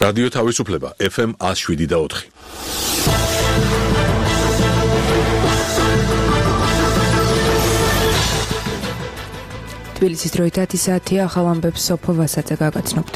რადიო თავისუფლება FM 107.4. თბილისის დროით 10 საათია, ახალ ამბებს სოფო ვასაძე გაგაცნობთ.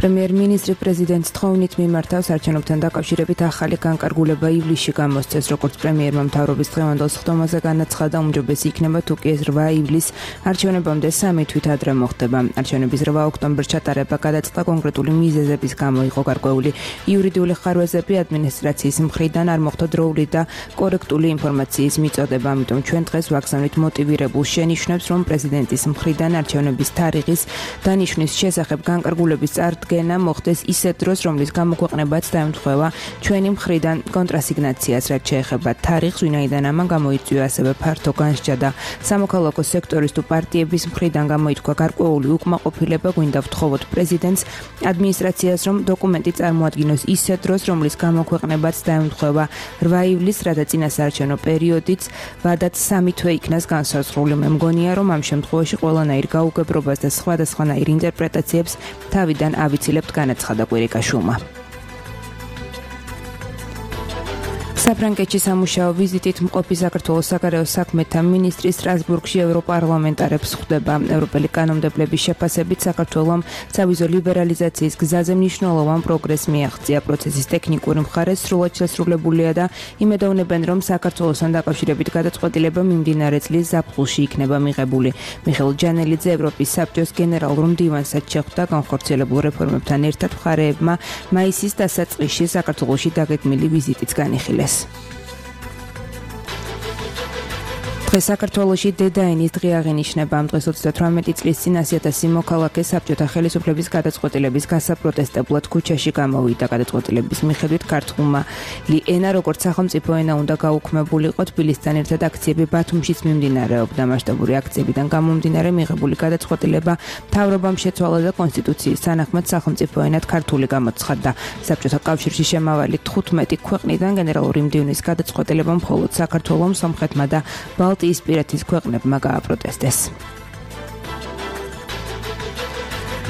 პრემიერ-მინისტრი პრეზიდენტის თხოვნით მიმართავს არჩევნებთან დაკავშირებით ახალი განკარგულება ივლისში გამოსცეს, როგორც პრემიერმა მთავრობის დღევანდელ სხდომაზე განაცხადა, უმჯობესი იქნება თუ კი ეს 8 ივლისს არჩევნებამდე 3 თვით ადრე მოხდება. არჩევნების 8 ოქტომბერს ჩატარება გადაწყდა კონკრეტული მიზეზების გამო იყო გარკვეული. იურიდიული ხარვეზები ადმინისტრაციის მხრიდან არ მოხდა დროული და კორექტული ინფორმაციის მიწოდება, ამიტომ ჩვენ დღეს ვაგზავნით მოტივირებულ შენიშვნებს, რომ პრეზიდენტის მხრიდან არჩევნების თარიღის დანიშვნის შესახებ განკარგულების წარდგენა მოხდეს ისეთ დროს, რომლის გამოქვეყნებაც დაემთხვევა ჩვენი მხრიდან კონტრასიგნაციას, რაც შეეხება თარიღს, ვინაიდან ამან გამოიწვია ასევე ფართო განსჯა და სამოქალაქო სექტორის თუ პარტიების მხრიდან გამოითქვა გარკვეული უკმაყოფილება, გვინდა ვთხოვოთ პრეზიდენტს, ადმინისტრაციას, რომ დოკუმენტი წარმოადგინოს ისეთ დროს, რომლის გამოქვეყნებაც დაემთხვევა 8 ივლისს, რათა წინასაარჩევნო პერიოდიც ვადაც 3 თვე იქნას განსაზღვრული. მე მგონია, რომ ამ შემთხვევაში ყველანაირ გაუგებრობას და სხვადასხვანაირ ინტერპრეტაციებს თავიდან ავიცილებთ, განაცხადა კვირიკაშვილმა. საფრანგეთში სამუშაო ვიზიტით მყოფი საქართველოს საგარეო საქმეთა მინისტრი სტრასბურგში ევროპარლამენტარებს ხვდება. ევროპელი კანონმდებლების შეფასებით საქართველომ სავიზო ლიბერალიზაციის გზაზე მნიშვნელოვან პროგრესს მიაღწია. პროცესის ტექნიკური მხარე სრულად შესრულებულია და იმედოვნებენ, რომ საქართველოსთან დაკავშირებით გადაწყვეტილება მიმდინარე წლის ზაფხულში იქნება მიღებული. მიხეილ ჯანელიძე ევროპის საბჭოს გენერალურ მდივანსაც შეხვდა. განხორციელებულ რეფორმებთან ერთად მხარეებმა მაისის დასაწყისში საქართველოში დაგეგმილი ვიზიტიც განიხილეს. დღეს საქართველოში დედაენის დღე აღინიშნება. ამ დღეს 38 წლის წინ 100.000 მოქალაქე საბჭოთა ხელისუფლების გადაწყვეტილების გასაპროტესტებლად ქუჩაში გამოვიდა. გადაწყვეტილების მიხედვით ქართული ენა როგორც სახელმწიფო ენა უნდა გაუქმებულიყო. თბილისთან ერთად აქციები ბათუმშიც მიმდინარეობდა. მასშტაბური აქციებიდან გამომდინარე მიღებული გადაწყვეტილება მთავრობამ შეცვალა და კონსტიტუციის თანახმად სახელმწიფო ენად ქართული გამოცხადდა. საბჭოთა კავშირში შემავალი 15 ქვეყნიდან გენერალური მდივნის გადაწყვეტილება მხოლოდ საქართველომ, სომხეთმა და ბალტიისპირეთის ქვეყნებმა გააპროტესტეს.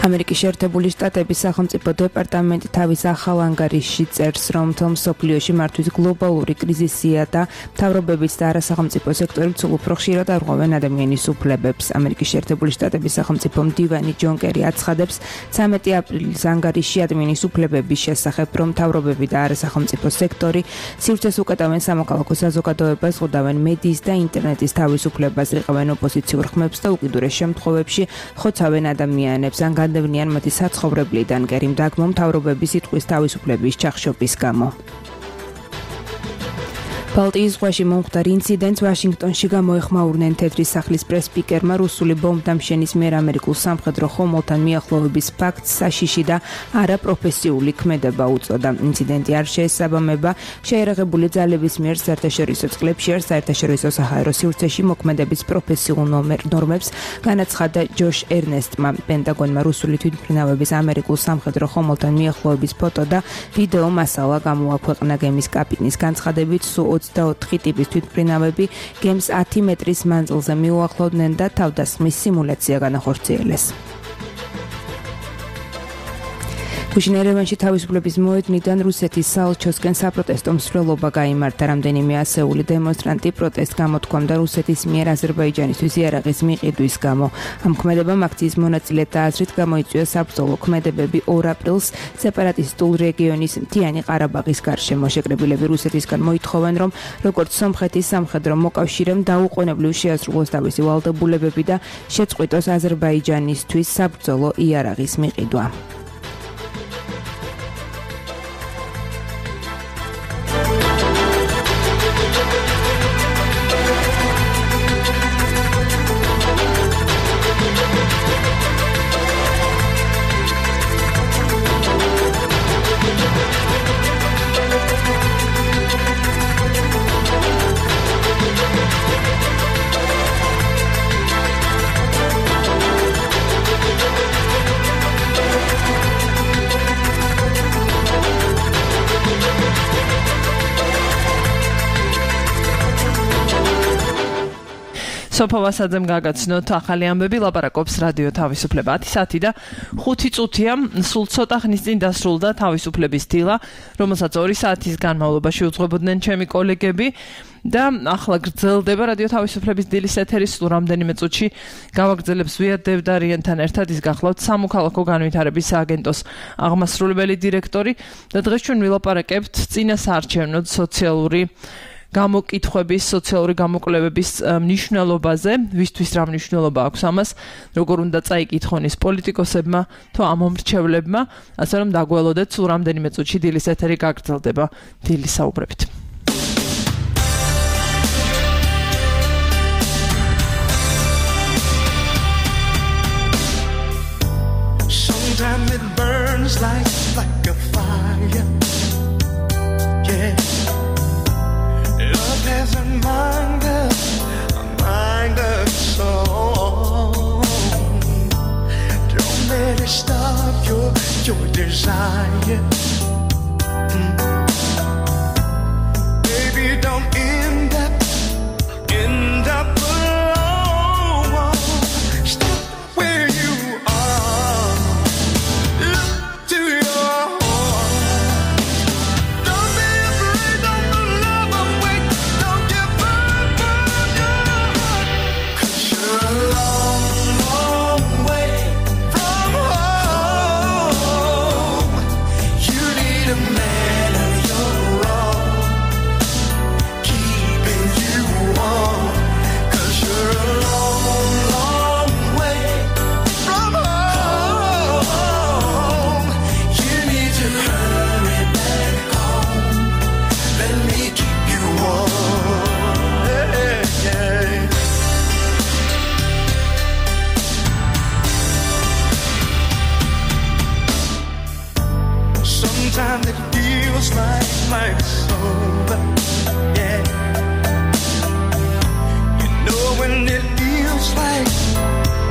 ამერიკის შეერთებული შტატების სახელმწიფო დეპარტამენტი თავის ახალ ანგარიშში წერს, რომ მთელ მსოფლიოში მართვის გლობალური კრიზისია და მთავრობებიც და არასახელმწიფო სექტორიც სულ უფრო ხშირად არღვევენ ადამიანის უფლებებს. ამერიკის შეერთებული შტატების სახელმწიფო მდივანი ჯონ კერი აცხადებს 13 აპრილის ანგარიშში ადამიანის უფლებების შესახებ, რომ მთავრობები და არასახელმწიფო სექტორი სივრცეს უკეტავენ სამოქალაქო საზოგადოებას, ხვდავენ მედიის და ინტერნეტის თავისუფლებას, რიყავენ ოპოზიციურ ხმებს და უკიდურეს შემთხვევებში ხოცავენ ადამიანებს ან დევნიან მათი საცხოვრებლიდან. კერიმ დაგმო მთავრობების სიტყვის თავისუფლების ჩახშობის გამო. ბალტიის ზღვაში მომხდარ ინციდენტს ვაშინგტონში გამოეხმაურნენ. თეთრი სახლის პრეს-სპიკერმა რუსული ბომბდამშენის მიერ ამერიკულ სამხედრო ხომალდთან მიახლოების ფაქტს საშიში და არაპროფესიული ქმედება უწოდა. ინციდენტი არ შეესაბამება შეერაღებული ძალების მიერ საერთაშორისო წყლებში არ საერთაშორისო საჰაერო სივრცეში მოქმედების პროფესიულ ნორმებს, განაცხადა ჯოშ ერნესტმა. პენტაგონმა რუსული თვითმფრინავების ამერიკულ სამხედრო ხომალდთან მიახლოების ფოტო და ვიდეო მასალა გამოაქვეყნა. გემის კაპიტნის განცხადებით, სულ 24 ტიპის თვითმფრინავები გემს 10 მეტრის მანძილზე მიუახლოვდნენ და თავდასხმის სიმულაცია განახორციელეს. გუშინ ერევანში თავისუფლების მოედნიდან რუსეთის საელჩოსკენ საპროტესტო მსვლელობა გაიმართა. რამდენიმე ასეული დემონსტრანტი პროტესტს გამოთქვამდა რუსეთის მიერ აზერბაიჯანისთვის იარაღის მიყიდვის გამო. ამ ქმედებამ აქციის მონაწილეთა აზრით გამოიწვია საბრძოლო ქმედებები 2 აპრილს სეპარატისტულ რეგიონის მთიანი ყარაბაღის გარშემო. შეკრებილები რუსეთისგან მოითხოვენ, რომ როგორც სომხეთის სამხედრო მოკავშირემ დაუყოვნებლივ შეასრულოს თავისი ვალდებულებები და შეწყვიტოს აზერბაიჯანისთვის საბრძოლო იარაღის მიყიდვა. სოფო ვასაძემ გაგაცნოთ ახალი ამბები, ლაპარაკობს რადიო თავისუფლება. 10 საათი და 5 წუთია, სულ ცოტა ხნის წინ დასრულდა თავისუფლების დილა, რომელსაც 2 საათის განმავლობაში უძღვებოდნენ ჩემი კოლეგები. და ახლა გრძელდება რადიო თავისუფლების დილის ეთერი, სულ რამდენიმე წუთში გავაგრძელებს ვიად დევდარიანთან ერთად, ის გახლავთ სამოქალაქო განვითარების სააგენტოს აღმასრულებელი დირექტორი და დღეს ჩვენ ვილაპარაკებთ წინასაარჩევნო სოციალური გამოკითხვების, სოციალური გამოკვლევების მნიშვნელობაზე, ვისთვის რა მნიშვნელობა აქვს ამას, როგორ უნდა წაიკითხონ ის პოლიტიკოსებმა თუ ამომრჩევლებმა, ასე რომ დაგველოდეთ, სულ რამდენიმე წუთში დილის ეთერი გაგრძელდება დილის საუბრებით. Sometimes it burns like a fire. Yeah. Love has a mind of soul. Don't let it stop your desire. Baby, don't end up alone. Stop where you are. Look to your heart. Don't be afraid, don't love awake. Don't give up on your heart. 'Cause you're a long, long way from home. You need a man of your own, keeping you warm. 'Cause you're a long, long way from home. You need to hurry back home. Let me keep you warm. Yeah. Sometimes it feels like life's over. Yeah. You know when it feels like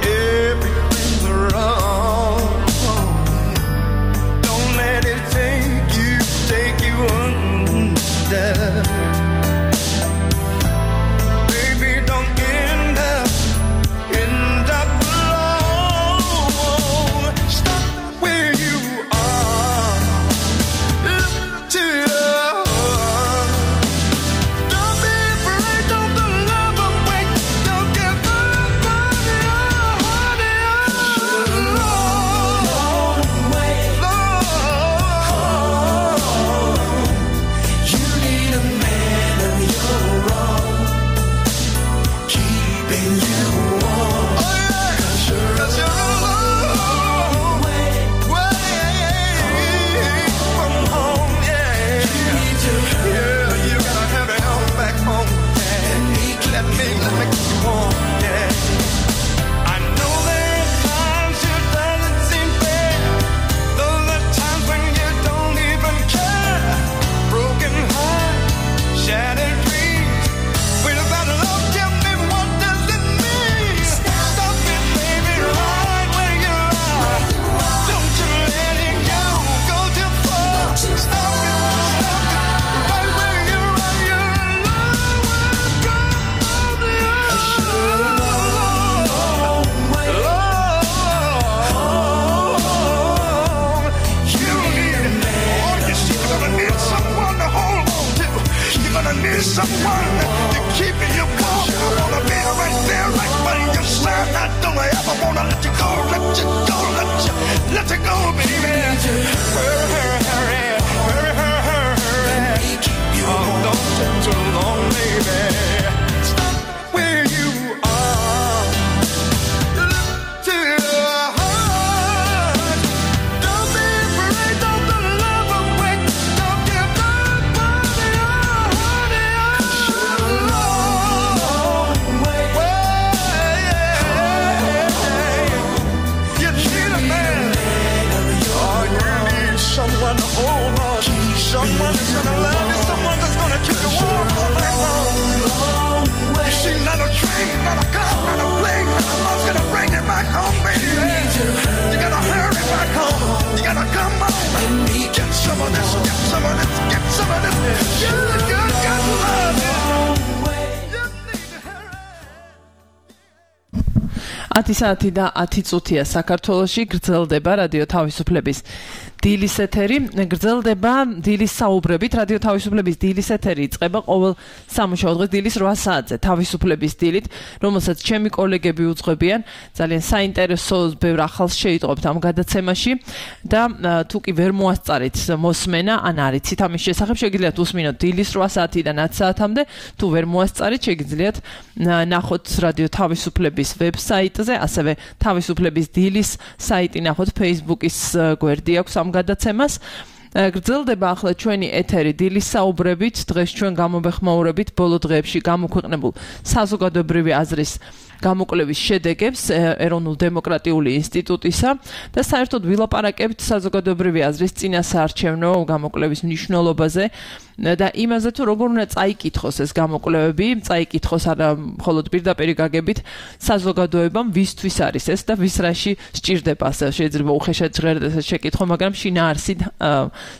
everything's wrong. Don't let it take you under. Baby, don't end up alone. Stop where you are. Look to your heart. Don't be afraid, don't love awake. Don't give up on your heart. You're a long way home. You need a man of your own, keeping you warm. 'Cause you're a long way from home. Yeah. You gotta have it home back home. Yeah. Let me keep you warm. Yeah. I know there are times it doesn't seem fair. Those are times when you don't even care. Broken heart, shattered dreams. Without love, tell me what does it mean? 10 საათი და 10 წუთია საქართველოში გრძელდება რადიო თავისუფლების დილის ეთერი. გრძელდება დილის საუბრებით. რადიო თავისუფლების დილის ეთერი იწყება ყოველ სამუშაო დღეს დილის 8 საათზე თავისუფლების დილით, რომელსაც ჩემი კოლეგები უძღვებიან. ძალიან საინტერესო ბევრ ახალს შეიტყობთ ამ გადაცემაში და თუ კი ვერ მოასწარით მოსმენა ან არიცით ამის შესახებ, შეგიძლიათ უსმინოთ დილის 8 საათიდან 10 საათამდე. თუ ვერ მოასწარით, შეგიძლიათ ნახოთ რადიო თავისუფლების ვებსაიტზე, ასევე თავისუფლების დილის საიტი ნახოთ, Facebook-ის გვერდი აქვს ამ გადაცემას. გრძელდება ახლა ჩვენი ეთერი დილის საუბრებით. დღეს ჩვენ გამოვეხმაურებით ბოლო დღეებში გამოქვეყნებულ საზოგადოებრივი აზრის გამოკვლევის შედეგებს ეროვნულ დემოკრატიული ინსტიტუტისა და საერთოდ ვილაპარაკებთ საზოგადოებრივი აზრის წინასაარჩევნო გამოკვლევის მნიშვნელობაზე და იმაზე თუ როგორ უნდა წაიკითხოს ეს გამოკვლევები, წაიკითხოს არა მხოლოდ პირდაპირ გაგებით საზოგადოებამ ვისთვის არის ეს და ვის რაში სჭირდება, ასე შეიძლება უხეშად ჟღერდეს ეს შეკითხვა, მაგრამ შინაარსით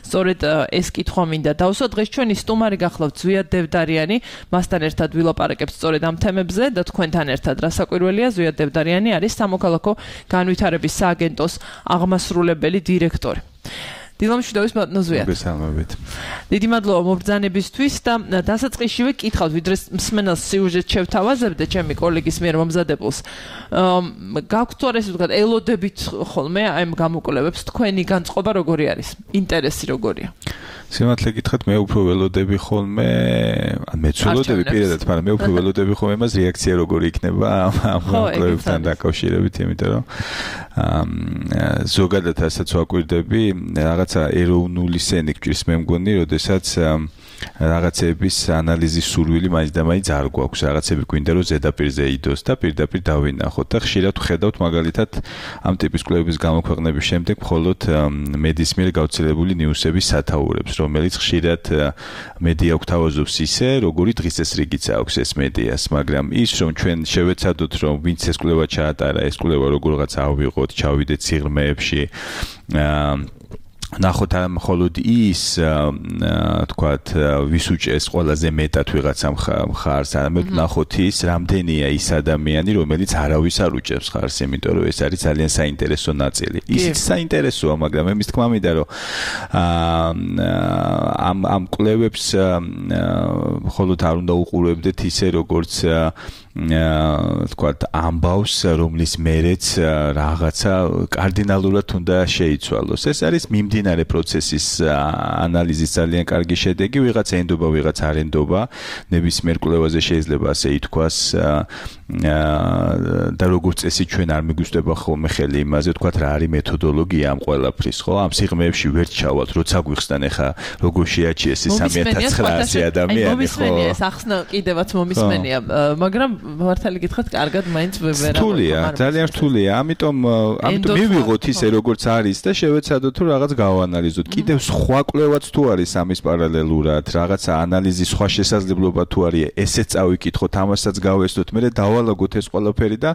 სწორედ ეს კითხვა მინდა დავსვა. დღეს ჩვენი სტუმარი გახლავთ ზვიად დევდარიანი, მასთან ერთად ვილაპარაკებთ სწორედ ამ თემებზე და თქვენთან ერთად საკვირველია. ზვიად დევდარიანი არის სამოქალაქო განვითარების სააგენტოს აღმასრულებელი დირექტორი. დილამშვიდობის ბატონო ზვიად. მოგესალმებით. დიდი მადლობა მობრძანებისთვის და დასაწყისშივე კითხავთ, ვიდრე მსმენელს სიუჟეტს შევთავაზებდე ჩემი კოლეგის მიერ მომზადებულს. გაქვთ თუ არა ესე ვთქვათ, ელოდებით ხოლმე აი ამ გამოკვლევებს თქვენი განწყობა როგორი არის? ინტერესი როგორია? სიმართლე გითხრათ, მე უფრო ველოდები ხოლმე, ან მეც ველოდები პირადად, მაგრამ მე უფრო ველოდები ხოლმე მას რეაქცია როგორი იქნება ამ გამოკვლევებთან დაკავშირებით, იმიტომ რომ ზოგადად ასაც ვაკვირდები, რაღაცა ეროვნული სენი გჭირს მე მგონი, როდესაც რაღაცების ანალიზის სურვილი მაინც და მაინც არ გვაქვს, რაღაცები გვინდა რომ ზედაპირზე იდოს და პირდაპირ დავინახოთ და ხშირად ხედავთ მაგალითად ამ ტიპის კვლევების გამოქვეყნების შემდეგ მხოლოდ მედიის მიერ გავრცელებული ნიუსების სათაურებს, რომელიც ხშირად მედია გვთავაზობს ისე, როგორი დღის წესრიგიც აქვს ეს მედიას, მაგრამ ის რომ ჩვენ შევეცადოთ რომ ვინც ეს კვლევა ჩაატარა, ეს კვლევა როგორღაც ავიღოთ, ჩავიდეთ სიღრმეებში, ნახოთ ამ მხოლოდ ის თქვათ ვის უჭეს ყველაზე მეტად ვიღაცა მხარს, არამედ ნახოთ ის რამდენია ის ადამიანი, რომელიც არავის არ უჭებს მხარს, იმიტომ რომ ეს არის ძალიან საინტერესო ნაწილი. ისიც საინტერესოა, მაგრამ მე მის თქმა მინდა რომ ამ კვლევებს მხოლოდ არ უნდა უყურებდეთ ისე როგორც თქვათ ამბავს, რომლის მერეც რაღაცა კარდინალურად უნდა შეიცვალოს. ეს არის მიმდინარე პროცესის ანალიზის ძალიან კარგი შედეგი, ვიღაცა ენდობა, ვიღაცა არ ენდობა, ნებისმიერ კვლევაზე შეიძლება ასე ითქვას და როგორც წესი ჩვენ არ მიგვიწვდება ხოლმე ხელი იმაზე, თქვათ რა არის მეთოდოლოგია ამ ყველაფრის, ხო? ამ სიღრმეებში ვერ ჩავალთ, როცა გვიხსნან ახლა როგორ შეაჩიეს ეს 3900 ადამიანი, ხო? მომისმენია ეს ახსნა კიდევაც მომისმენია, მაგრამ მართალი გითხრათ, კარგად მაინც ვერ რთულია, ძალიან რთულია. ამიტომ მივიღოთ ისე როგორც არის და შევეცადოთ რომ რაღაც გავანალიზოთ. კიდევ სხვა კვლევაც თუ არის ამის პარალელურად, რაღაცა ანალიზის სხვა შესაძლებლობა თუ არის, ესეც წავიკითხოთ, ამასაც გავესწროთ, მე დავალაგოთ ეს ყველაფერი და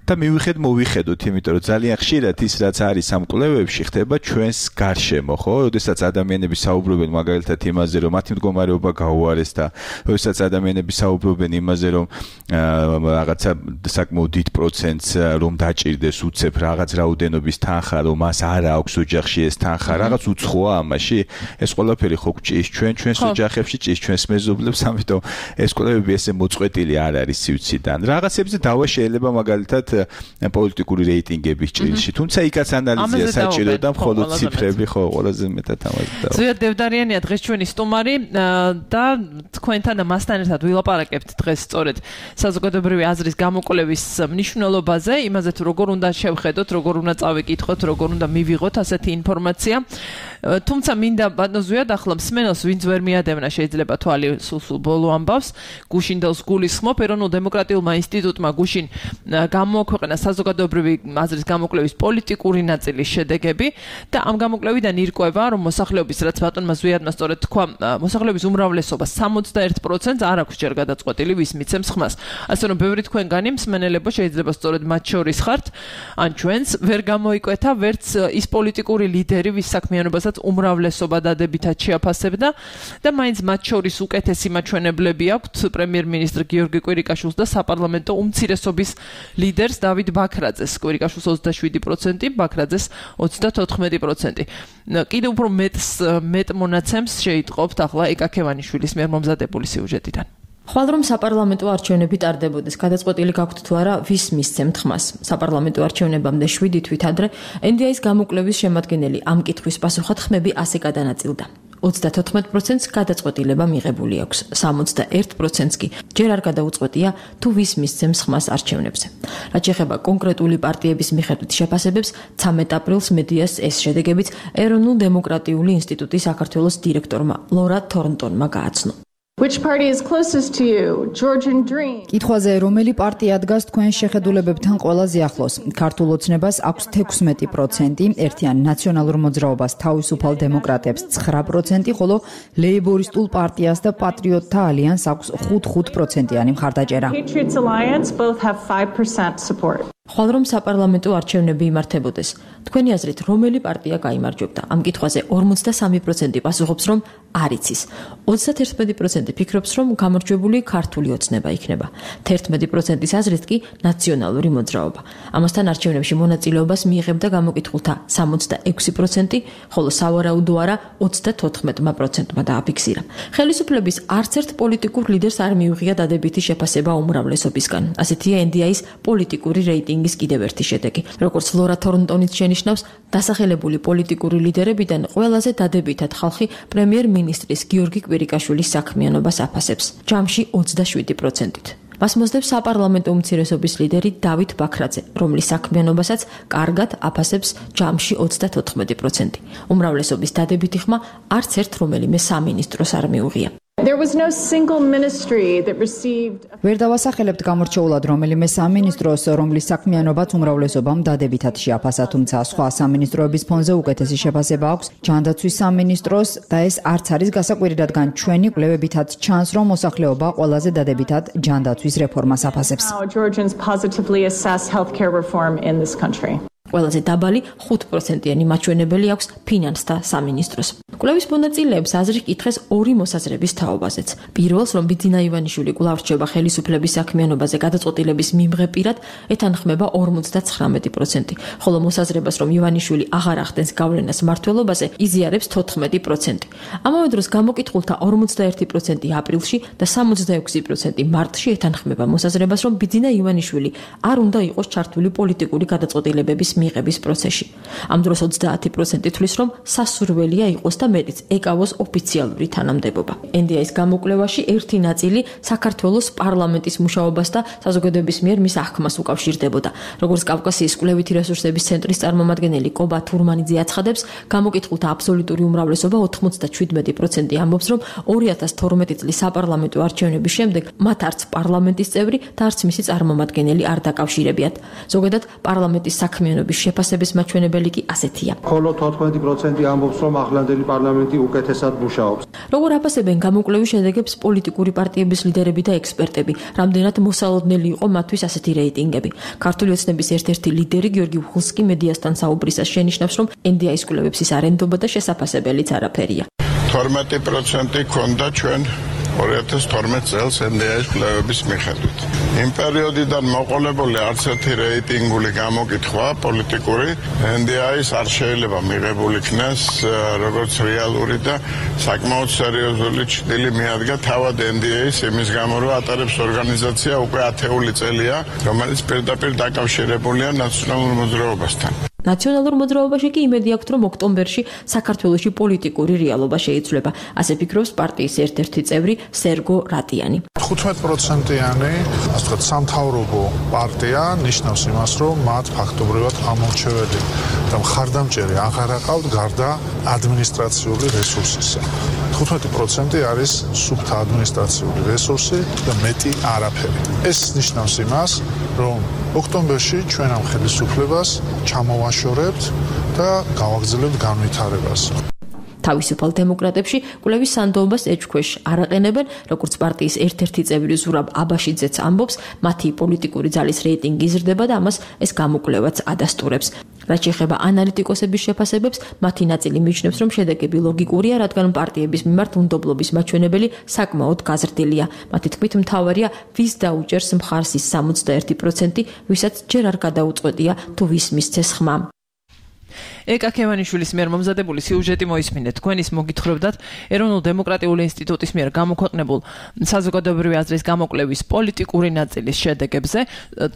მოვიხედოთ, იმიტომ რომ ძალიან ხშირად ის რაც არის ამ კვლევებში ხდება ჩვენს გარშემო, ხო? როდესაც ადამიანები საუბრობენ მაგალითად იმაზე, რომ მათი მდგომარეობა გაუარეს და როდესაც ადამიანები საუბრობენ იმაზე, რომ რაღაცა საკმაოდ დიდ პროცენტს რომ დაჭირდეს უცებ რაღაც რაოდენობის თანხა, რომ მას არ აქვს ოჯახში ეს თანხა, რაღაც უცხოა ამაში. ეს ყველაფერი ხო გჭირს ჩვენს ოჯახებში, ჭირს ჩვენს მეზობლებს, ამიტომ ეს კვლევები ესე მოწყვეტილი არ არის სივრციდან. რაღაცებზე დავა შეიძლება მაგალითად პოლიტიკური რეიტინგების ჭრილში, თუმცა იქაც ანალიზია საჭირო და მხოლოდ ციფრები ხო ყველაზე მეტად ამაზე დავა. ზვიად დევდარიანია დღეს ჩვენი სტუმარი და თქვენთან და მასთან ერთად ვილაპარაკებთ დღეს სწორედ საზოგადოებრივი აზრის გამოკვლევის მნიშვნელობაზე, იმაზე თუ როგორ უნდა შევხედოთ, როგორ უნდა წავიკითხოთ, როგორ უნდა მივიღოთ ასეთი ინფორმაცია. თუმცა მინდა ბატონო ზვიად ახლა მსმენელს ვინც ვერ მიადევნა შეიძლება თვალი სულ ბოლო ამბავს, გუშინდელს გულისხმობ ეროვნულ დემოკრატიულმა ინსტიტუტმა გუშინ გამოაქვეყნა საზოგადოებრივი აზრის გამოკვლევის პოლიტიკური ნაწილის შედეგები და ამ გამოკვლევიდან ირკვევა, რომ მოსახლეობის, რაც ბატონმა ზვიადმა სწორედ თქვა, მოსახლეობის უმრავლესობა 61%-ს არ აქვს ჯერ გადაწყვეტილი ვის მიცემს ხმას. ასე რომ ბევრი თქვენგანი მსმენელებო შეიძლება სწორედ მათ შორის ხართ, ან ჩვენს ვერ გამოიკვეთა ვერც ის პოლიტიკური ლიდერი, ვის საქმიანობასაც რომელსაც უმრავლესობა დადებითად შეაფასებდა და მაინც მათ შორის უკეთესი მაჩვენებლები აქვთ პრემიერ-მინისტრ გიორგი კვირიკაშვილს და საპარლამენტო უმცირესობის ლიდერს დავით ბაქრაძეს. კვირიკაშვილს 27%, ბაქრაძეს 34%. კიდევ უფრო მეტ მონაცემს შეიტყობთ ახლა ეკა ქევანიშვილის მიერ მომზადებული სიუჟეტიდან. ხვალ რომ საპარლამენტო არჩევნები ტარდებოდეს, გადაწყვეტილი გაქვთ თუ არა ვის მისცემთ ხმას. საპარლამენტო არჩევნებამდე 7 თვით ადრე NDI-ის გამოკვლევის შემადგენელი ამ კითხვის პასუხად ხმები ასე გადანაწილდა. 34%-ს გადაწყვეტილება მიღებული აქვს, 61%-ს კი ჯერ არ გადაუწყვეტია თუ ვის მისცემს ხმას არჩევნებზე. რაც შეეხება კონკრეტული პარტიების მიხედვით შეფასებებს, 13 აპრილს მედიას ეს შედეგებიც ეროვნულ-დემოკრატიული ინსტიტუტის საქართველოს დირექტორმა ლორა თორნტონმა გააცნო. Which party is closest to you? Georgian Dream. კითხვაზე რომელი პარტია დგას თქვენ შეხედულებებთან ყველაზე ახლოს? ქართულ ოცნებას აქვს 16%, ერთიან ნაციონალურ მოძრაობას თავისუფალ დემოკრატებს 9%, ხოლო ლეიბორისტულ პარტიას და პატრიოტთა ალიანსს აქვს 5%-იანი მხარდაჭერა. Patriots Alliance both have 5% support. ხვალ რომ საპარლამენტო არჩევნები იმართებოდეს, თქვენი აზრით რომელი პარტია გაიმარჯვებდა? ამ კითხვაზე 53% პასუხობს, რომ არ იცის. 31% ფიქრობს, რომ გამარჯვებული ქართული ოცნება იქნება. 11%-ის აზრით კი ნაციონალური მოძრაობა. ამასთან არჩევნებში მონაწილეობას მიიღებდა გამოკითხულთა 66%, ხოლო სავარაუდო არა 34%-მა დააფიქსირა. ხელისუფლების არც ერთ პოლიტიკურ ლიდერს არ მიუღია დადებითი შეფასება უმრავლესობისგან. ასეთია NDI-ის პოლიტიკური რეიტინგის კიდევ ერთი შედეგი. როგორც ლორა თორნტონიც შენიშნავს, დასახელებული პოლიტიკური ლიდერებიდან ყველაზე დადებითად ხალხი პრემიერ-მინისტრის გიორგი კვირიკაშვილის საქმიანობას აფასებს, ჯამში 27%-ით. მას მოსდევს საპარლამენტო უმცირესობის ლიდერი დავით ბაქრაძე, რომლის საქმიანობასაც კარგად აფასებს ჯამში 34%. უმრავლესობის დადებითი ხმა არც ერთ რომელიმე სამინისტროს არ მიუღია. There was no single ministry that received ვერ დავასახელებთ გამორჩეულად რომელიმე სამინისტროს, რომლის საქმიანობაც უმრავლესობამ დადებითად შეაფასა, თუმცა სხვა სამინისტროების ფონზე უკეთესი შეფასება აქვს ჯანდაცვის სამინისტროს და ეს არც არის გასაკვირი, რადგან ჩვენი კვლევებითაც ჩანს, რომ მოსახლეობა ყველაზე დადებითად ჯანდაცვის რეფორმას აფასებს. how Georgians positively assess healthcare reform in this country. ყველაზე დაბალი 5%-იანი მაჩვენებელი აქვს ფინანსთა სამინისტროს. კვლევის მონაწილეებს აზრი კითხეს ორი მოსაზრების თაობაზეც. პირველს, რომ ბიძინა ივანიშვილი კვლავ რჩება ხელისუფლების საქმიანობაზე გადაწყვეტილების მიმღებირად, ეთანხმება 59%, ხოლო მოსაზრებას, რომ ივანიშვილი აღარ ახდენს გავლენას მმართველობაზე, იზიარებს 14%. ამავე დროს გამოკითხულთა 41% აპრილში და 66% მარტში ეთანხმება მოსაზრებას, რომ ბიძინა ივანიშვილი არ უნდა იყოს ჩართული პოლიტიკური გადაწყვეტილებების მიღების პროცესში. ამ დროს 30% თვლის, რომ სასურველია იყოს და მეტიც ეკავოს ოფიციალური თანამდებობა. NDI-ის გამოკვლევაში ერთი ნაწილი საქართველოს პარლამენტის მუშაობას და საზოგადოების მიერ მის აღქმას უკავშირდებოდა. როგორც კავკასიის კვლევითი რესურსების ცენტრის წარმომადგენელი კობა თურმანიძე აცხადებს, გამოკითხულთა აბსოლუტური უმრავლესობა 97% ამბობს, რომ 2012 წლის საპარლამენტო არჩევნების შემდეგ მათ არც პარლამენტის წევრი და არც მისი წარმომადგენელი არ დაკავშირებიათ. ზოგადად პარლამენტის საქმიანობის შეფასების მაჩვენებელი კი ასეთია. ხოლო 14% ამბობს, რომ ახლანდელი პარლამენტი უკეთესად მუშაობს. როგორ აფასებენ გამოკვლევის შედეგებს პოლიტიკური პარტიების ლიდერები და ექსპერტები, რამდენად მოსალოდნელი იყო მათთვის ასეთი რეიტინგები. ქართული ოცნების ერთ-ერთი ლიდერი გიორგი ვხულსკი მედიასთან საუბრისას შენიშნავს, რომ NDI-ის კვლევებს ის არ ენდობა და შესაფასებელიც არაფერია. 12% ქონდა ჩვენ 2012 წელს NDI-ის კვლევების მიხედვით. იმ პერიოდიდან მოყოლებული არც ერთი რეიტინგული გამოკითხვა პოლიტიკური NDI-ის არ შეიძლება მიღებული იქნას როგორც რეალური და საკმაოდ სერიოზული ჭრილი მიადგა თავად NDI-ის იმის გამო, რომ ატარებს ორგანიზაცია უკვე 10 წელია, რომელიც პირდაპირ დაკავშირებულია ნაციონალურ მოძრაობასთან. ნაციონალურ მოძრაობაში კი იმედი აქვს, რომ ოქტომბერში საქართველოში პოლიტიკური რეალობა შეიცვლება. ასე ფიქრობს პარტიის ერთ-ერთი წევრი სერგო რატიანი. 15%-იანი, ასე ვთქვათ, სამთავრობო პარტია ნიშნავს იმას, რომ მათ ფაქტობრივად ამორჩეველი და მხარდამჭერი აღარ აყავთ გარდა ადმინისტრაციული რესურსისა. 15% არის სუფთა ადმინისტრაციული რესურსი და მეტი არაფერი. ეს ნიშნავს იმას, რომ ოქტომბერში ჩვენ ამ ხელისუფლებას ჩამოვაშორებთ და გავაგრძელებთ განვითარებას. თავისუფალ დემოკრატებში კვლევის სანდოობას ეჭქვეშ არ აყენებენ, როგორც პარტიის ერთ-ერთი წევრი ზურაბ აბაშიძეც ამბობს, მათი პოლიტიკური ძალის რეიტინგი იზრდება და ამას ეს გამოკვლევაც ადასტურებს. რაც შეეხება ანალიტიკოსების შეფასებებს, მათი ნაწილი მიიჩნევს, რომ შედეგები ლოგიკურია, რადგან პარტიების მიმართ უნდობლობის მაჩვენებელი საკმაოდ გაზრდილია. მათი თქმით, მთავარია ვის დაუჭერს მხარს ის 61%, ვისაც ჯერ არ გადაუწყვეტია თუ ვის მისცეს ხმა. ეკა ქევანიშვილის მიერ მომზადებული სიუჟეტი მოისმინეთ. თქვენ ის მოგითხრობდათ ეროვნულ დემოკრატიული ინსტიტუტის მიერ გამოქვეყნებულ საზოგადოებრივი აზრის გამოკვლევის პოლიტიკური ნაწილის შედეგებზე,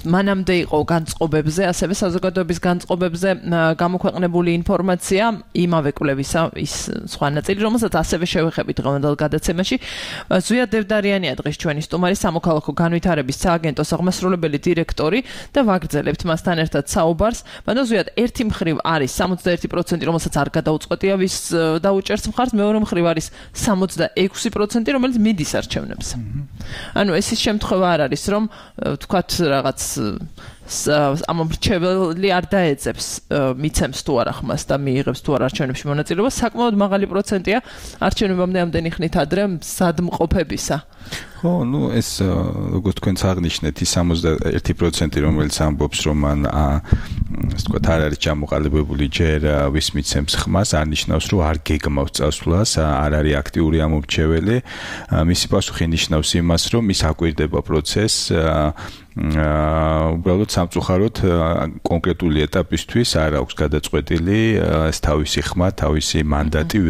მანამდე იყო განწყობებზე, ასევე საზოგადოების განწყობებზე გამოქვეყნებული ინფორმაცია, იმავე კვლევისა ის სხვა ნაწილი, რომელსაც ასევე შევეხებით დღევანდელ გადაცემაში. ზვია დევდარიანია დღეს ჩვენი სტუმარი, სამოქალაქო განვითარების სააგენტოს აღმასრულებელი დირექტორი და ვაგრძელებთ მასთან ერთად საუბარს. მაგრამ ზვიად ერთი მხრივ არის 61%, რომელსაც არ გადაუწყვეტია ვის დაუჭერს მხარს, მეორე მხრივ არის 66%, რომელიც მიდის არჩევნებზე. ანუ ეს ის შემთხვევა არ არის, რომ თქვათ რაღაც ამ მრჩეველი არ დაეძებს, მიცემს თუ არა ხმას და მიიღებს თუ არა არჩევნებში მონაწილეობას, საკმაოდ მაღალი პროცენტია არჩევნებამდე ამდენი ხნით ადრე სადმყოფებისა. ხო, ეს როგორც თქვენც აღნიშნეთ, ის 61%, რომელიც ამბობს, რომ მან ასე ვთქვათ, არ არის ჩამოყალიბებული ჯერ ვის მიცემს ხმას, არ ნიშნავს, რომ არ გეგმავს წასვლას, არ არის აქტიური ამომრჩეველი. მისი პასუხი ნიშნავს იმას, რომ ის აკვირდება პროცესს უბრალოდ სამწუხაროდ კონკრეტული ეტაპისთვის არ აქვს გადაწყვეტილი ეს თავისი ხმა, თავისი მანდატი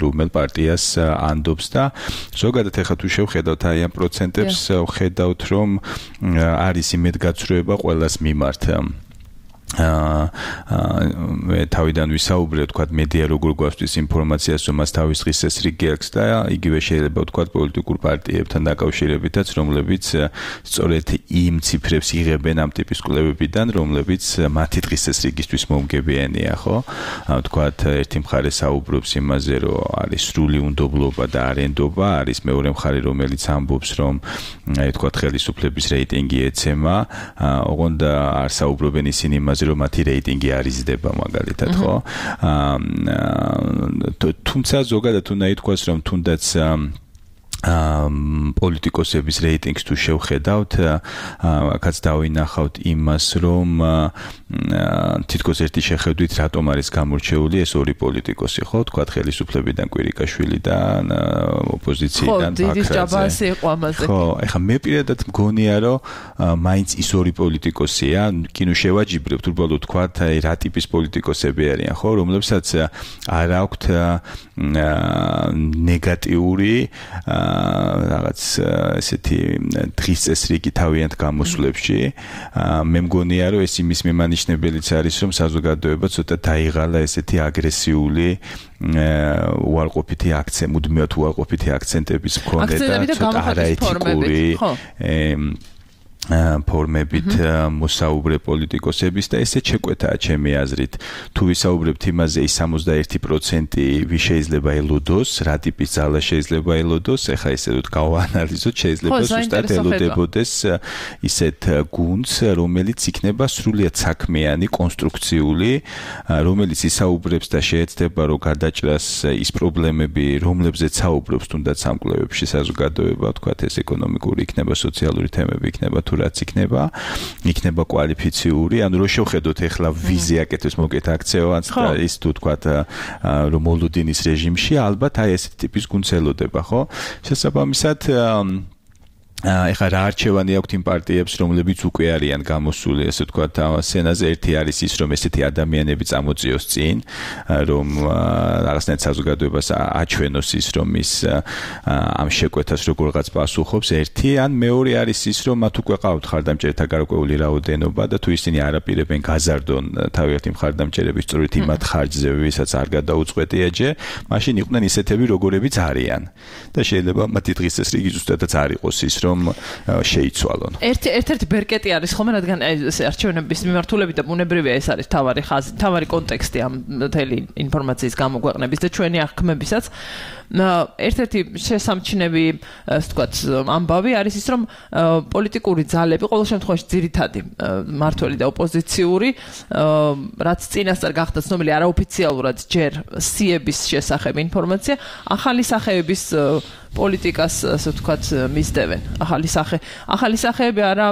რომელ პარტიას ანდობს და ზოგადად ახლა თუ შევხედავთ აი ამ პროცენტებს, ხედავთ რომ არის იმედგაცრუება ყველას მიმართ. მე თავიდან ვისაუბრე, ვთქვათ, მედია როგორ გვასწვის ინფორმაციას, რომ მას თავის დღის წესრიგი აქვს და იგივე შეიძლება ვთქვათ პოლიტიკურ პარტიებთან დაკავშირებითაც, რომლებიც სწორედ იმ ციფრებს იღებენ ამ ტიპის კვლევებიდან, რომლებიც მათი დღის წესრიგისთვის მომგებიანია, ხო? ვთქვათ, ერთი მხარე საუბრობს იმაზე, რომ არის სრული უნდობლობა და არენდობა, არის მეორე მხარე, რომელიც ამბობს, რომ აი ვთქვათ, ხელისუფლების რეიტინგი ეცემა, ოღონდ არ საუბრობენ ისინი იმაზე, რომ მათი რეიტინგი არ იზრდება მაგალითად, ხო? თუმცა ზოგადად უნდა ითქვას, რომ თუნდაც პოლიტიკოსების რეიტინგს თუ შევხედავთ, აქაც დავინახავთ იმას, რომ თითქოს ერთი შეხედვით რატომ არის გამორჩეული ეს ორი პოლიტიკოსი, ხო? თქვათ ხელისუფლებიდან კვირიკაშვილი და ოპოზიციიდან ბაქრაძე. ხო, ეხლა მე პირადად მგონია, რომ მაინც ის ორი პოლიტიკოსია, კინო შევაჯიბრებთ, უბრალოდ თქვათ, აი რა ტიპის პოლიტიკოსები არიან, ხო? რომლებსაც არ აქვთ ნეგატიური რაღაც ესეთი დღის წესრიგი თავიანთ გამოსვლებში. მე მგონია, რომ ეს იმის მიმანიშნებელიც არის, რომ საზოგადოება ცოტა დაიღალა ესეთი აგრესიული უარყოფითი აქცენტი, მუდმივად უარყოფითი აქცენტების მქონე და ცოტა არაეთიკური ფორმებით მოსაუბრე პოლიტიკოსების და ესე შეკვეთაა ჩემი აზრით. თუ ვისაუბრებთ იმაზე, ის 61% ვის შეიძლება ელოდოს, რა ტიპის ძალა შეიძლება ელოდოს, ეხლა ესე ვთქვათ, გავაანალიზოთ, შეიძლება ზუსტად ელოდებოდეს ისეთ გუნდს, რომელიც იქნება სრულიად საქმიანი, კონსტრუქციული, რომელიც ისაუბრებს და შეეცდება, რომ გადაჭრას ის პრობლემები, რომლებზეც საუბრობს თუნდაც ამ კვლევებში საზოგადოება, ვთქვათ, ეს ეკონომიკური იქნება, სოციალური თემები იქნება, თუ რაც იქნება კვალიფიციური, ანუ რო შევხედოთ ეხლა ვიზე აკეთებს მოკეთ აქცევანს და ის თუ თქვათ რომ მოლოდინის რეჟიმში ალბათ აი ესეთი ტიპის გუნდს ელოდება, ხო? შესაბამისად ეხლა რა არჩევანი აქვთ იმ პარტიებს, რომლებიც უკვე არიან გამოსული, ესე ვთქვათ, სცენაზე. ერთი არის ის, რომ ესეთი ადამიანები წამოწიოს წინ, რომ რაღაცნაირად საზოგადოებას აჩვენოს ის, რომ ის ამ შეკვეთას როგორღაც პასუხობს. ერთი, ან მეორე არის ის, რომ მათ უკვე ყავთ ხარდამჭერთა გარკვეული რაოდენობა და თუ ისინი არაპირებენ გაზარდონ თავიანთი მხარდამჭერების სწორედ იმათ ხარჯზე, ვისაც არ გადაუწყვეტია ჯერ, მაშინ იყვნენ ისეთები, როგორებიც არიან. და შეიძლება მათი დღის წესრიგი ზუსტადაც არ იყოს ის, რომ შეიცვალონ. ერთ-ერთი ბერკეტი არის ხოლმე, რადგან ეს არჩევნების მიმართულებით და ბუნებრივია ეს არის თავარი ხაზი, თავარი კონტექსტი ამ მთელი ინფორმაციის გამოგვეყნების და ჩვენი აღქმებისაც. ერთ-ერთი შესამჩნევი, ასე ვთქვათ, ამბავი არის ის, რომ პოლიტიკური ძალები ყოველ შემთხვევაში ძირითადი მმართველი და ოპოზიციური, რაც წინასწარ გახდა ცნობილი არაოფიციალურად ჯერ სიების შესახებ ინფორმაცია, ახალი სახეების პოლიტიკას, ასე ვთქვათ, მისდევენ. ახალი სახეები არა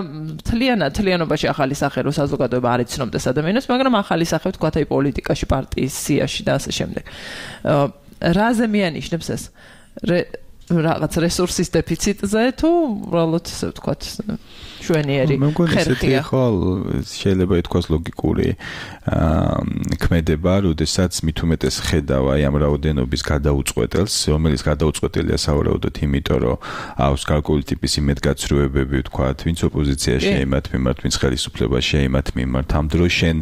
თლიანობაში ახალი სახე რო საზოგადოება არ იცნობდეს ადამიანებს, მაგრამ ახალი სახე ვთქვათ აი პოლიტიკაში, პარტიის სიაში და ასე შემდეგ. რაზე მიანიშნებს ეს? რაღაც რესურსის დეფიციტზე თუ უბრალოდ ასე ვთქვათ შვენიერი ხერხია. შეიძლება ითქვას ლოგიკური ქმედება, როდესაც მით უმეტეს ხედავ აი ამ რაოდენობის გადაუწყვეტელს, რომელიც გადაუწყვეტელია სავარაუდოდ იმიტომ, რომ აქვს გარკვეული ტიპის იმედგაცრუებები, ვთქვათ, ვინც ოპოზიციაში იმათ მიმართ, ვინც ხელისუფლებაში იმათ მიმართ, ამ დროს შენ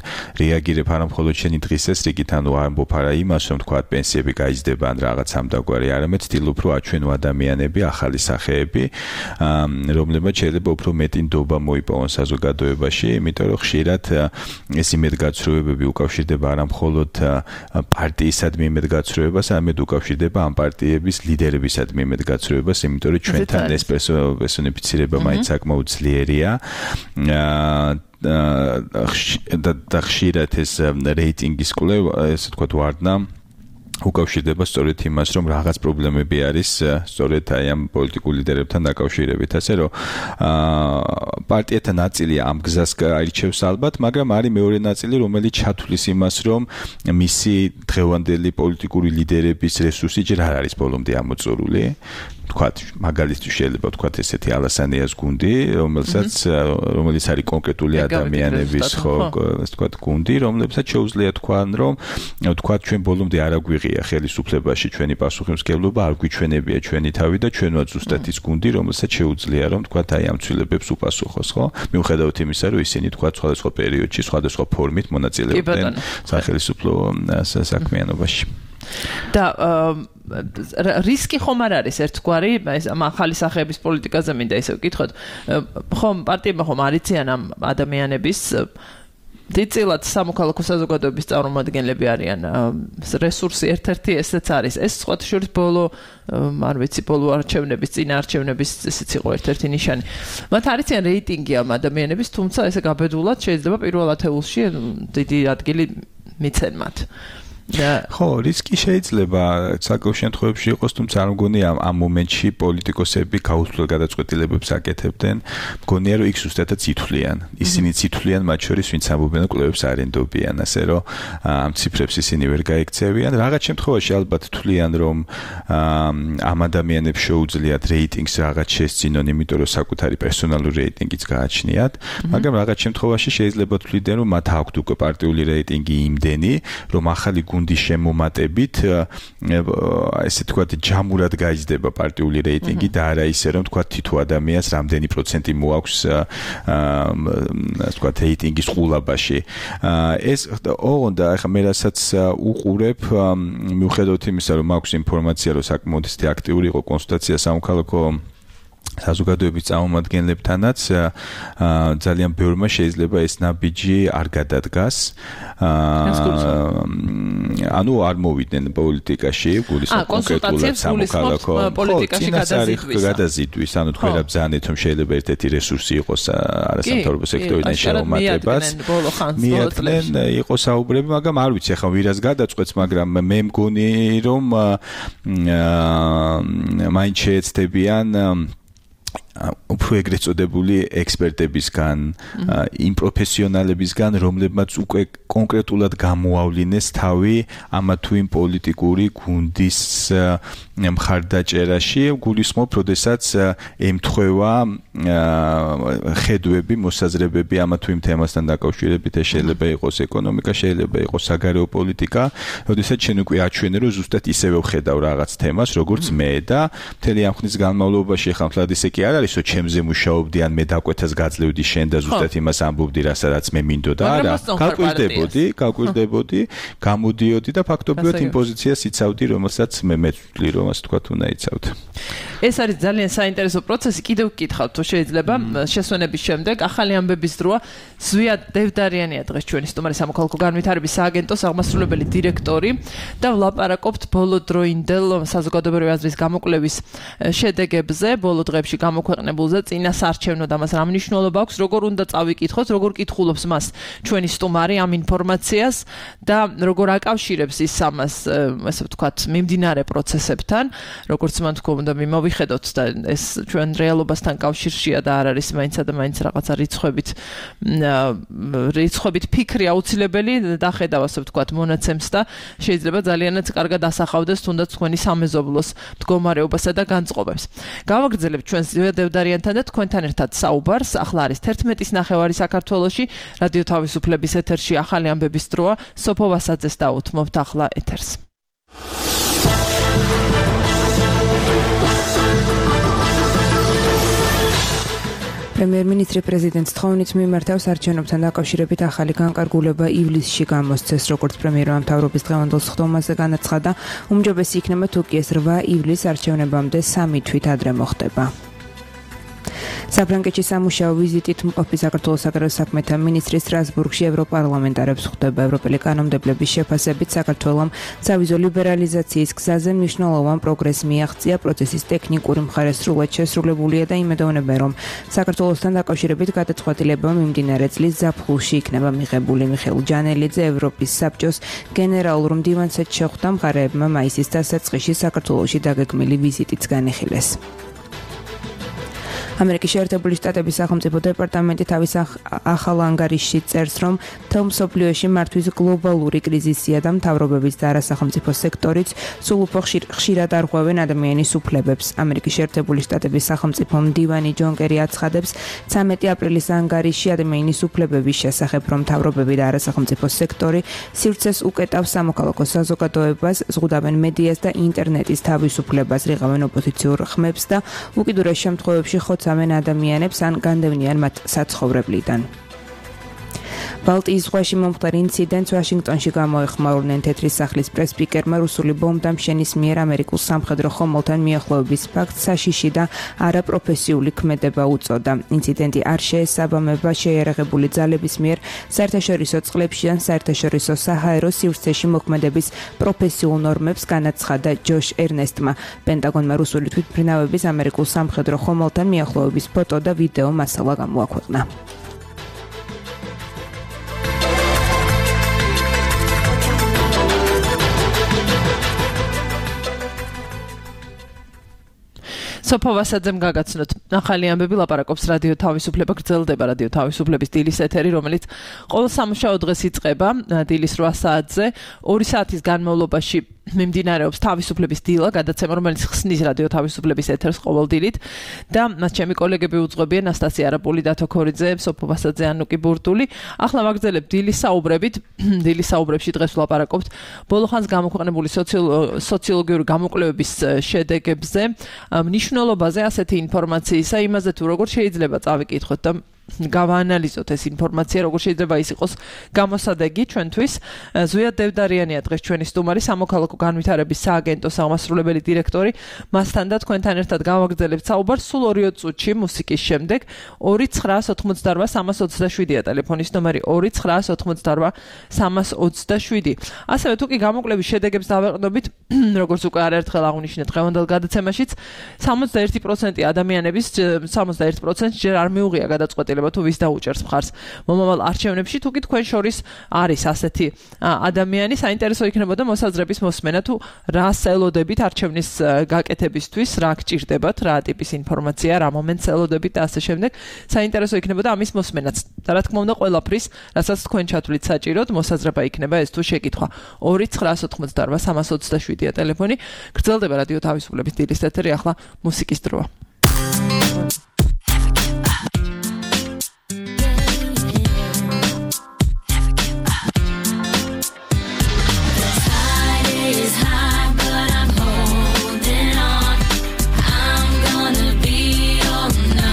რეაგირებ არა მხოლოდ შენი დღისეს რიგით, ანუ ამბობ არა იმას, რომ ვთქვათ, პენსიები გაიზრდება ან რაღაც ამდაგვარი, არამედ ვთილობ, რომ აჩვენო ადამიანები, ახალი სახეები, რომლებმაც შეიძლება უფრო მეტი ნდობა მოიპოვონ საზოგადოებაში, იმიტომ რომ ხშირად ეს იმედგაცრუებები უკავშირდება არა მხოლოდ პარტიისადმი იმედგაცრუებას, არამედ უკავშირდება ამ პარტიების ლიდერებისადმი იმედგაცრუებას, იმიტომ რომ ჩვენთან ეს პერსონიფიცირება მაინც საკმაოდ ძლიერია. და ხშირად ეს რეიტინგის კვლევა, ესე ვთქვათ, ვარდნა უკავშირდება სწორედ იმას, რომ რაღაც პრობლემები არის სწორედ აი ამ პოლიტიკურ ლიდერებთან დაკავშირებით, ასე რომ პარტიათა ნაწილი ამ გზას აირჩევს ალბათ, მაგრამ არის მეორე ნაწილი, რომელიც ჩათვლის იმას, რომ მისი დღევანდელი პოლიტიკური ლიდერების რესურსი ჯერ არ არის ბოლომდე ამოწურული. ვთქვათ, მაგალითად შეიძლება ვთქვათ ესეთი ალასანიას გუნდი, რომელიც არის კონკრეტული ადამიანების, ხო, ასე ვთქვათ, გუნდი, რომლებსაც შეუძლია თქვან, რომ ვთქვათ, ჩვენ ბოლომდე არ აგვიღია ხელისუფლებაში ჩვენი პასუხისმგებლობა, არ გვიჩვენებია ჩვენი თავი და ჩვენ ვართ ზუსტად ის გუნდი, რომელსაც შეუძლია, რომ ვთქვათ, აი ამ ცვლილებებს უპასუხოს, ხო? მიუხედავად იმისა, რომ ისინი ვთქვათ, სხვადასხვა პერიოდში, სხვადასხვა ფორმით მონაწილეობდნენ სახელისუფლო საქმიანობაში. და რისკი ხომ არ არის ერთგვარი, ეს ახალი სახეების პოლიტიკაზე მინდა ისე ვკითხოთ. ხომ პარტიებმა ხომ არიციან ამ ადამიანების დიდწილად სამოქალაქო საზოგადოების წარმომადგენლები არიან. რესურსი ერთ-ერთი ესეც არის. ეს სხვათა შორის ბოლო არჩევნების, წინა არჩევნების ესეც იყო ერთ-ერთი ნიშანი. მათ არიციან რეიტინგი ამ ადამიანების, თუმცა ესე გაბედულად შეიძლება პირველ ათეულში დიდი ადგილი მიცენ მათ. ხო, რისკი შეიძლება საკუთარ შემთხვევებში იყოს, თუმცა არ მგონია ამ მომენტში პოლიტიკოსები გაუცვლელ გადაწყვეტილებებს აკეთებდნენ. მგონია, რომ იქ ზუსტადაც ითვლიან. ისინი ითვლიან მათ შორის, ვინც ამბობენ, კლუბებს არენდობიან, ასე რომ ამ ციფრებს ისინი ვერ გაიქცევიან. რაღაც შემთხვევაში ალბათ თვლიან, რომ ამ ადამიანებს შეუძლიათ რეიტინგს რაღაც შესწინონ, იმიტომ რომ საკუთარი პერსონალური რეიტინგიც გააჩნიათ, მაგრამ რაღაც შემთხვევაში შეიძლება თვლიდნენ, რომ მათ აქვთ უკვე პარტიული რეიტინგი იმდენი, რომ ახალი გუნდის შემომატებით, ესე თქვათ, ჯამურად გაიზრდება პარტიული რეიტინგი და არა ისე, რომ თქვათ, თითო ადამიანს რამდენი პროცენტი მოაქვს, ასე თქვათ, რეიტინგის ყულაბაში. ეს ოღონდ ახლა მე რასაც უყურებ, მიუხედავად იმისა, რომ მაქვს ინფორმაცია, რომ საკმაოდ აქტიური იყო კონსულტაცია სამოქალაქო საზოგადოების წარმომადგენლებთანაც, ძალიან ბევრმა შეიძლება ეს ნაბიჯი არ გადადგას. ანუ არ მოვიდნენ პოლიტიკაში, გულისხმობ კონკრეტულად სამოქალაქო პოლიტიკაში გადაზიდვის, ანუ თქვენ რა ბრძანეთ, რომ შეიძლება ერთ-ერთი რესურსი იყოს არასამთავრობო სექტორიდან შემომატებას. მიატნენ იყო საუბრები, მაგრამ არ ვიცი ახლა ვირას გადაწყვეტს, მაგრამ მე მგონი, რომ მაინც შეეცდებიან უფრო ეგრეთ წოდებული ექსპერტებისგან, იმ პროფესიონალებისგან, რომლებმაც უკვე კონკრეტულად გამოავლინეს თავი ამა თუ იმ პოლიტიკური გუნდის მხარდაჭერაში, გულისხმობ, როდესაც ემთხვევა ხედვები, მოსაზრებები ამა თუ იმ თემასთან დაკავშირებით, შეიძლება იყოს ეკონომიკა, შეიძლება იყოს საგარეო პოლიტიკა, როდესაც შენ უკვე აჩვენე, რომ ზუსტად ისევე ვხედავ რაღაც თემას, როგორც მე და მთელი ამ ხნის განმავლობაში ახლა მთლად ისე კი არ არის, არისო ჩემზე მუშაობდი ან მე დაკვეთას გაძლევდი შენ და ზუსტად იმას ამბობდი რასაც მე მინდოდა არა გაკვირდებოდი გამოდიოდი და ფაქტობრივად იმ პოზიციას იცავდი რომელსაც მე ვთვლი რომ ასე თქვა უნდა იცავდე ეს არის ძალიან საინტერესო პროცესი კიდევ გკითხავთ თუ შეიძლება შესვენების შემდეგ ახალი ამბების დროა ზვია დევდარიანია დღეს ჩვენი სტუმარი სამოქალაქო განვითარების სააგენტოს აღმასრულებელი დირექტორი და ვლაპარაკობთ ბოლოდროინდელ საზოგადოებრივი აზრის გამოკვლევის შედეგებზე ბოლო დღეებში გამოქვეყნებულზე წინასაარჩევნო და მას რა მნიშვნელობა აქვს როგორ უნდა წავიკითხოთ როგორ კითხულობს მას ჩვენი სტუმარი ამ ინფორმაციას და როგორ აკავშირებს ის ამას ასე ვთქვათ მიმდინარე პროცესებთან როგორც მან თქვა უნდა მივიხედოთ და ეს ჩვენ რეალობასთან კავშირშია და არ არის მაინც და მაინც რაღაცა რიცხვებით ფიქრი აუცილებელი დახედავ ასე ვთქვათ მონაცემს და შეიძლება ძალიანაც კარგად ასახავდეს თუნდაც თქვენი სამეზობლოს მდგომარეობასა და განწყობებს. გავაგრძელებთ ჩვენს ზვია დევდარიანთან და თქვენთან ერთად საუბარს. ახლა არის 11:30 საქართველოში რადიო თავისუფლების ეთერში ახალი ამბების დროა. სოფო ვასაძეს დაუთმობთ ახლა ეთერს. პრემიერ-მინისტრი პრეზიდენტს თხოვნით მიმართავს არჩევნებთან დაკავშირებით ახალი განკარგულება ივლისში გამოსცეს, როგორც პრემიერმა მთავრობის დღევანდელ სხდომაზე განაცხადა, უმჯობესი იქნება თუ კი ეს 8 ივლისს არჩევნებამდე 3 თვით ადრე მოხდება. საფრანგეთში სამუშაო ვიზიტით მყოფი საქართველოს საგარეო საქმეთა მინისტრი სტრასბურგში ევროპარლამენტარებს ხვდება. ევროპელი კანონმდებლების შეფასებით საქართველომ სავიზო ლიბერალიზაციის გზაზე მნიშვნელოვან პროგრესს მიაღწია. პროცესის ტექნიკური მხარე სრულად შესრულებულია და იმედოვნებენ, რომ საქართველოსთან დაკავშირებით გადაწყვეტილება მიმდინარე წლის ზაფხულში იქნება მიღებული. მიხეილ ჯანელიძე ევროპის საბჭოს გენერალურ მდივანსაც შეხვდა. მხარეებმა მაისის დასაწყისში საქართველოში დაგეგმილი ვიზიტიც განიხილეს. ამერიკის შეერთებული შტატების სახელმწიფო დეპარტამენტი თავის ახალ ანგარიშში წერს, რომ მთელ მსოფლიოში მართვის გლობალური კრიზისია და მთავრობების და არასახელმწიფო სექტორიც სულ უფრო ხშირად არღვევენ ადამიანის უფლებებს. ამერიკის შეერთებული შტატების სახელმწიფო მდივანი ჯონ კერი აცხადებს 13 აპრილის ანგარიშში ადამიანის უფლებების შესახებ, რომ მთავრობები და არასახელმწიფო სექტორი სივრცეს უკეტავს სამოქალაქო საზოგადოებას, ზღუდავენ მედიას და ინტერნეტის თავისუფლებას, რიღავენ ოპოზიციურ ხმებს და უკიდურეს შემთხვევებში ამენ ადამიანებს ან განდევნიან მათ საცხოვრებლიდან. ბალტიის ზღვაში მომხდარ ინციდენტს ვაშინგტონში გამოეხმაურნენ. თეთრი სახლის პრესპიკერმა რუსული ბომბდამშენის მიერ ამერიკულ სამხედრო ხომალდთან მიახლოების ფაქტს საშიში და არაპროფესიული ქმედება უწოდა. ინციდენტი არ შეესაბამება შეიარაღებული ძალების მიერ საერთაშორისო წყლებში ან საერთაშორისო საჰაერო სივრცეში მოქმედების პროფესიულ ნორმებს, განაცხადა ჯოშ ერნესტმა. პენტაგონმა რუსული თვითმფრინავების ამერიკულ სამხედრო ხომალდთან მიახლოების ფოტო და ვიდეო მასალა გამოაქვეყნა. სოფო ვასაძემ გაგაცნოთ ახალი ამბები ლაპარაკობს რადიო თავისუფლება გრძელდება რადიო თავისუფლების დილის ეთერი რომელიც ყოველ სამუშაო დღეს იწყება დილის 8 საათზე 2 საათის განმავლობაში მიმდინარეობს თავისუფლების დილა გადაცემა რომელიც ხსნის რადიო თავისუფლების ეთერს ყოველ დილით და მას ჩემი კოლეგები უძღვებიან ნასტასია არაპული დათო ქორიძე სოფო ვასაძე ანუკი ბურტული ახლა ვაგრძელებთ დილის საუბრებით დილის საუბრებში დღეს ვლაპარაკობთ ბოლო ხანს გამოქვეყნებული სოციოლოგიური გამოკვლევების შედეგებზე მნიშვნელობაზე ასეთი ინფორმაციისა იმაზე თუ როგორ შეიძლება წავიკითხოთ და გავაანალიზოთ ეს ინფორმაცია როგორ შეიძლება ის იყოს გამოსადეგი ჩვენთვის ზვია დევდარიანია დღეს ჩვენი სტუმარი სამოქალაქო განვითარების სააგენტოს აღმასრულებელი დირექტორი მასთან და თქვენთან ერთად გავაგრძელებთ საუბარს სულ 2 წუთში მუსიკის შემდეგ 2988327-ია ტელეფონის ნომერი 2988327 ასევე თუ კი გამოკვლევის შედეგებს დავეყნობით როგორც უკვე არაერთხელ აღვნიშნეთ დღევანდელ გადაცემაშიც 61% ადამიანების 61% ჯერ არ მიუღია გადაწყვეტილება თუ ვის დაუჭერს მხარს მომავალ არჩევნებში თუ კი თქვენ შორის არის ასეთი ადამიანი საინტერესო იქნებოდა მოსაზრების მოსმენა თუ რას ელოდებით არჩევნის გაკეთებისთვის რა გჭირდებათ რა ტიპის ინფორმაცია რა მომენტს ელოდებით და ასე შემდეგ საინტერესო იქნებოდა ამის მოსმენაც და რა თქმა უნდა ყველაფრის რასაც თქვენ ჩათვლით საჭიროდ მოსაზრება იქნება ეს თუ შეკითხვა 2988327-ია ტელეფონი გრძელდება რადიო თავისუფლების დილის ეთერი ახლა მუსიკის დროა I'm gonna be all night.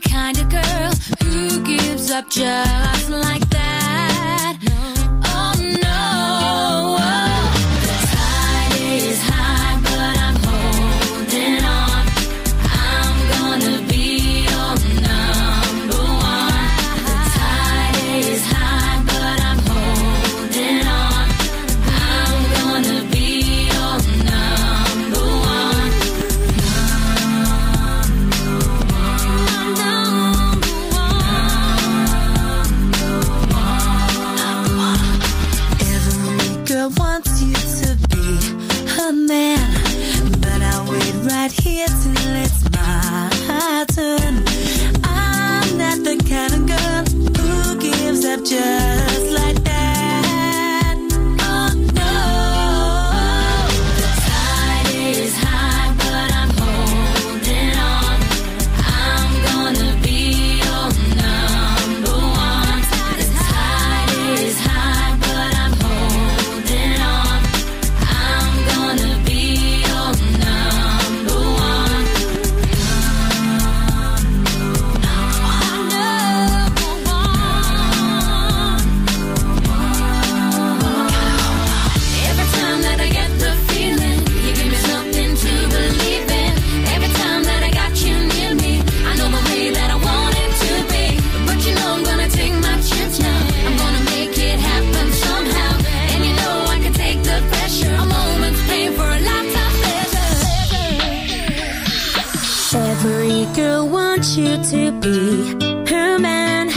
kind of girl who gives up just like that. Oh no. The tide is high, but I'm holding on. I'm gonna be your number one. The tide is high, but I'm holding on. I'm gonna be your number one. Every girl wants you to be her man, but I'll wait right here till it's my turn. I'm not the kind of girl who gives up just like that. Oh no. The tide is high, but I'm holding on. I'm gonna be your number one. The tide is high, but I'm holding on. I'm gonna be your number one. Every time that I get the feeling, you give me something to believe in. Every time that I got you near me, I know the way that I want it to be. But you know I'm gonna take my chance now. I'm gonna make it happen somehow. And you know I can take the pressure. A moment's pain for a lifetime pleasure. Every girl wants you to be her man,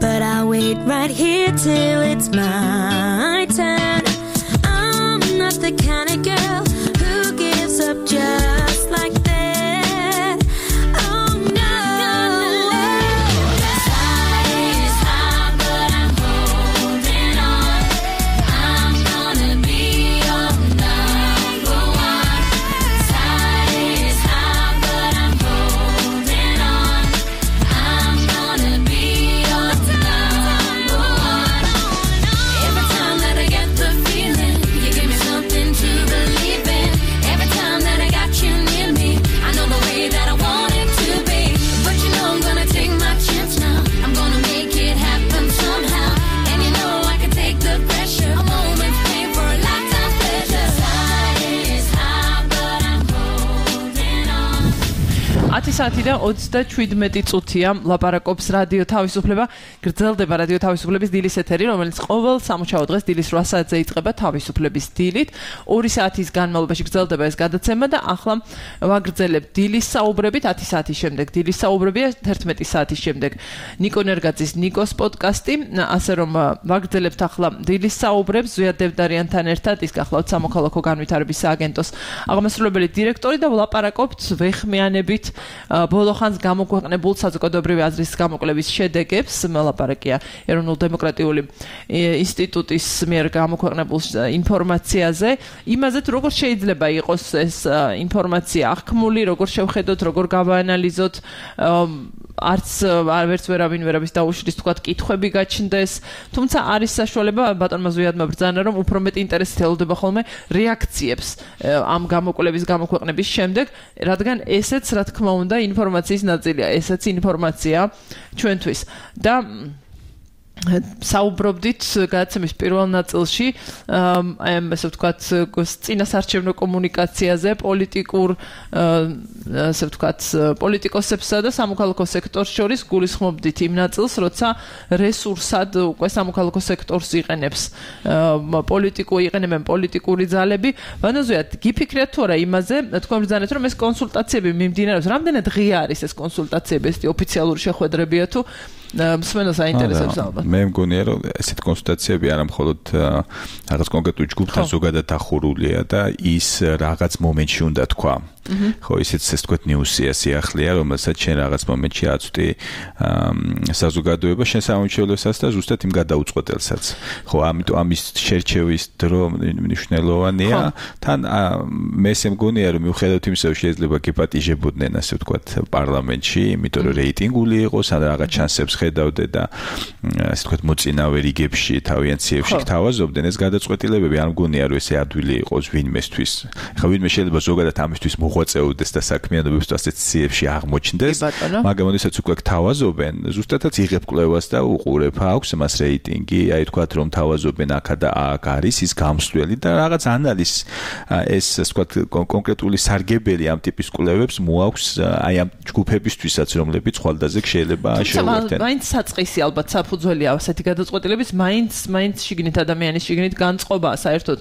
but I'll wait right here till it's my turn. I'm not the kind of girl who gives up just like that. Oh no. The tide is high, but I'm holding on. I'm gonna be your number one. Tide is high, but I'm holding on. I'm gonna be your number one. Every time that I get the feeling, you give me something to believe in. Every time that I got you near me, I know the way that I want it to be. But you know I'm gonna take my chance now. I'm gonna make it happen somehow. And you know I can take the pressure. A moment's pain for a lifetime pleasure. Tide is high, but I'm holding on. 10 საათი და 37 წუთია ლაპარაკობს რადიო თავისუფლება. გრძელდება რადიო თავისუფლების დილის ეთერი, რომელიც ყოველ სამუშაო დღეს დილის 8 საათზე იწყება თავისუფლების დილით. 2 საათის განმავლობაში გრძელდება ეს გადაცემა და ახლა ვაგრძელებთ დილის საუბრებით 10 საათის შემდეგ. დილის საუბრებია 11 საათის შემდეგ. ნიკო ნერგაძის ნიკოს პოდკასტი, ასე რომ ვაგრძელებთ ახლა დილის საუბრებს ზვიად დევდარიანთან ერთად, ის გახლავთ სამოქალაქო განვითარების სააგენტოს აღმასრულებელი დირექტორი და ვლაპარაკობთ ვეხმიანებით ბოლოხანს გამოქვეყნებულ საზოგადოებრივი აზრის გამოკვლევის შედეგებს. მოლაპარაკია ეროვნულ-დემოკრატიული ინსტიტუტის მიერ გამოქვეყნებულ ინფორმაციაზე, იმაზე თუ როგორ შეიძლება იყოს ეს ინფორმაცია აღქმული, როგორ შევხედოთ, როგორ გავაანალიზოთ, არც ვერავის დაუშლის თქვათ კითხვები გაჩნდეს, თუმცა არის საშუალება ბატონმა ზვიადმა ბრძანა, რომ უფრო მეტი ინტერესით ელოდება ხოლმე რეაქციებს ამ გამოკვლევის გამოქვეყნების შემდეგ, რადგან ესეც რა თქმა უნდა ინფორმაციის ნაწილია, ესეც ინფორმაცია ჩვენთვის და საუბრობდით გადაცემის პირველ ნაწილში აი ამ ასე ვთქვათ წინასარჩევნო კომუნიკაციაზე, ასე ვთქვათ პოლიტიკოსებსა და სამოქალაქო სექტორს შორის გულისხმობდით იმ ნაწილს, როცა რესურსად უკვე სამოქალაქო სექტორს იყენებენ პოლიტიკური ძალები. ვანოზუიათ, გიფიქრეთ თუ არა იმაზე, თქვენ ბრძანეთ, რომ ეს კონსულტაციები მიმდინარეობს, რამდენად ღია არის ეს კონსულტაციები, ეს ოფიციალური შეხვედრებია თუ მსმენელს აინტერესებს ალბათ. მე მგონია რომ ესეთ კონსულტაციები არა მხოლოდ რაღაც კონკრეტულ ჯგუფთან ზოგადად ახურულია და ის რაღაც მომენტში უნდა თქვა. ხო, ისიც ეს თქვათ ნიუსია, სიახლეა, რომელსაც შენ რაღაც მომენტში აწვდი საზოგადოება შენ სამომავლობასაც და ზუსტად იმ გადაუწყვეტელსაც. ხო, ამიტომ ამის შერჩევის დრო მნიშვნელოვანია. თან მე ესე მგონია რომ მიუხედავად იმისა, რომ შეიძლება გეპატიჟებოდნენ, ასე ვთქვათ, პარლამენტში, იმიტომ რომ რეიტინგული იყოს, ან რაღაც ჩანსებს ხედავდე და ასე ვთქვათ, მოწინავე რიგებში, თავიანციებში გთავაზობდნენ, ეს გადაწყვეტილებები არ მგონია რომ ესე ადვილი იყოს ვინმესთვის. ხო, ვინმე შეიძლება ზოგადად ამისთვის მოღვაწეობდეს და საქმიანობებს ასეთ ციებში აღმოჩნდეს, მაგრამ როდესაც უკვე გთავაზობენ, ზუსტადაც იღებ კვლევას და უყურებ, აქვს მას რეიტინგი, აი თქვათ რომ თავაზობენ აქა და აქ არის ის გამსვლელი და რაღაც ანალიზ ეს ასე ვთქვათ კონკრეტული სარგებელი ამ ტიპის კვლევებს მოაქვს აი ამ ჯგუფებისთვისაც რომლებიც ხვალდაზე შეიძლება შეუერთდნენ. მაინც საწყისი ალბათ საფუძველია ასეთი გადაწყვეტილების, მაინც შიგნით ადამიანის შიგნით განწყობაა საერთოდ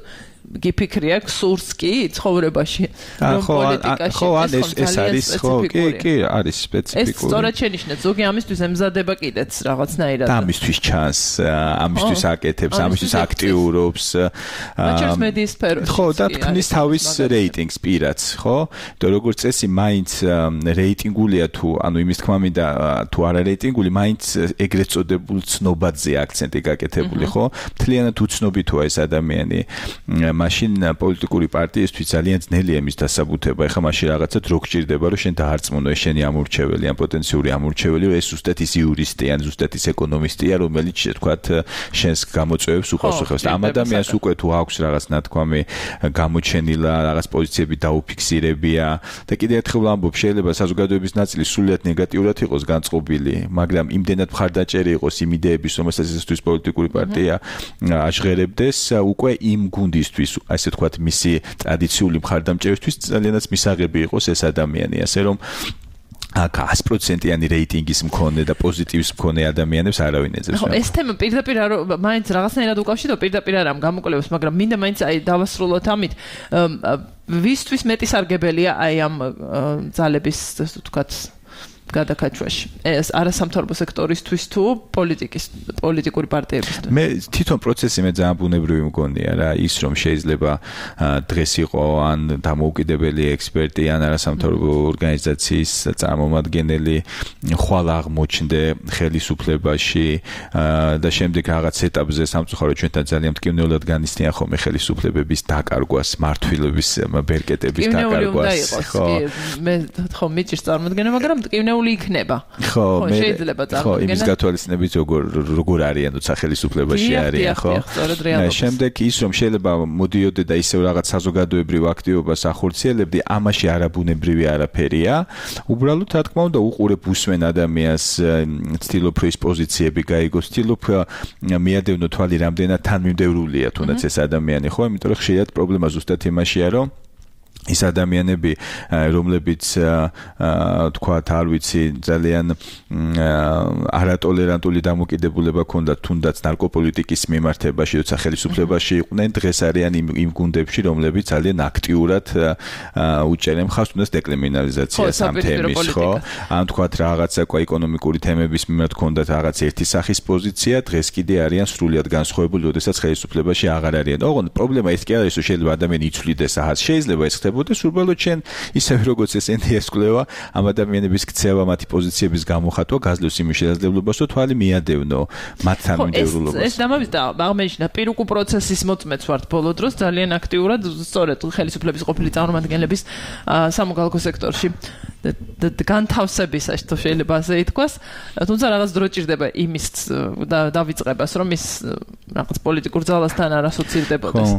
გიფიქრია სურს კი ცხოვრებაში რომ პოლიტიკაში ეს არის ხო კი არის სპეციფიკური ეს სწორად შენიშნეთ ზოგი ამისთვის ემზადება კიდეც რაღაცნაირად და ამისთვის ჩანს ამისთვის აკეთებს ამისთვის აქტიურობს მაჩერს მედიის სფეროში ხო და თქვნის თავის რეიტინგს პირაც ხო და როგორც წესი მაინც რეიტინგულია თუ ანუ იმის თქმა მინდა თუ არა რეიტინგული მაინც ეგრეთ წოდებულ ცნობადზე აქცენტი გაკეთებული ხო მთლიანად უცნობითოა ეს ადამიანი მაშინ პოლიტიკური პარტიისთვის ძალიან ძნელია მის დასაბუთება. ეხლა მაშინ რაღაცა დრო გჭირდება, რომ შენ დაარწმუნო ეს შენი ამორჩეველი, ან პოტენციური ამორჩეველი, რომ ეს ზუსტად ის იურისტი, ან ზუსტად ის ეკონომისტია, რომელიც თქვათ შენს გამოწვევებს უპასუხებს. ამ ადამიანს უკვე თუ აქვს რაღაც ნათქვამი გამოჩენილა, რაღაც პოზიციები დაუფიქსირებია და კიდევ ერთხელ ვამბობ, შეიძლება საზოგადოების ნაწილი სრულიად ნეგატიურად იყოს განწყობილი, მაგრამ იმდენად მხარდაჭერი იყოს იმ იდეების, რომელსაც ესთვის პოლიტიკური პარტია აჟღერებდეს, უკვე იმ გუნდისთვის ასე თქვათ მისი ტრადიციული მხარდამჭერისთვის ძალიანაც მისაღები იყოს ეს ადამიანი, ასე რომ 100%-იანი რეიტინგის მქონე და პოზიტივის მქონე ადამიანებს არავინ ეძებს. ხო, ეს თემა პირდაპირ მაინც რაღაცნაირად უკავშირდება პირდაპირ არ ამ გამოკვლევებს, მაგრამ მინდა მაინც აი დავასრულოთ ამით. ვისთვის მეტი სარგებელია აი ამ ძალების თქვათ გადაკაჩვაში. ეს არასამთავრობო სექტორისთვის თუ პოლიტიკური პარტიებისთვის. მე თვითონ პროცესი მე ძალიან ბუნებრივი მგონია რა, ის რომ შეიძლება დღეს იყო ან დამოუკიდებელი ექსპერტი ან არასამთავრობო ორგანიზაციის წარმომადგენელი ხვალ აღმოჩნდე ხელისუფლებაში და შემდეგ რაღაც ეტაპზე სამწუხაროდ ჩვენთან ძალიან მტკივნეულად განიცდიან ხოლმე ხელისუფლებების დაკარგვას, მართვილების ბერკეტების დაკარგვას. ხო, მე ხო მიჭირს წარმოდგენა, მაგრამ მტკივნეული იქნება. ხო, შეიძლება წარმოდგენა. ხო, იმის გათვალისწინებით როგორ არიან თუცა ხელისუფლებაში არიან, ხო? შემდეგ ის რომ შეიძლება მოდიოდე და ისევ რაღაც საზოგადოებრივ აქტივობას ახორციელებდი, ამაში არაბუნებრივი არაფერია. უბრალოდ რა თქმა უნდა უყურებ უსმენ ადამიანს, ცდილობ რომ ის პოზიციები გაიგოს, ცდილობ მიადევნო თვალი რამდენად თანმიმდევრულია თუნდაც ეს ადამიანი, ხო? იმიტომ რომ ხშირად პრობლემა ზუსტად იმაშია, რომ ის ადამიანები, რომლებიც თქვათ, არ ვიცი, ძალიან არატოლერანტული დამოკიდებულება ჰქონდათ თუნდაც ნარკოპოლიტიკის მიმართებაში, როცა ხელისუფლებაში იყვნენ, დღეს არიან იმ გუნდებში, რომლებიც ძალიან აქტიურად უჭერენ მხარს თუნდაც დეკრიმინალიზაციას ამ თემის, ხო? ან თქვათ რაღაცა ეკონომიკური თემების მიმართ ჰქონდათ რაღაც ერთი სახის პოზიცია, დღეს კიდე არიან სრულიად განსხვავებული, როდესაც ხელისუფლებაში აღარ არიან. ოღონდ პრობლემა ის კი არის, რომ შეიძლება ადამიანი იცვლიდეს ახაც, შეიძლება ეს ხდებოდეს უბრალოდ შენ ისევე როგორც ეს NDS კვლევა ამ ადამიანების ქცევა მათი პოზიციების გამოხატვა გაძლევს იმის შესაძლებლობას რომ თვალი მიადევნო მათ თანმიმდევრულობას. ეს დამამიზდა აღმოჩნდა პირუკუ პროცესის მოწმეც ვართ ბოლო დროს ძალიან აქტიურად სწორედ ხელისუფლების ყოფილი წარმომადგენლების სამოქალაქო სექტორში განთავსებისას თუ შეიძლება ასე ითქვას, თუმცა რაღაც დრო ჭირდება იმის დავიწყებას, რომ ის რაღაც პოლიტიკურ ძალასთან არ ასოცირდებოდეს.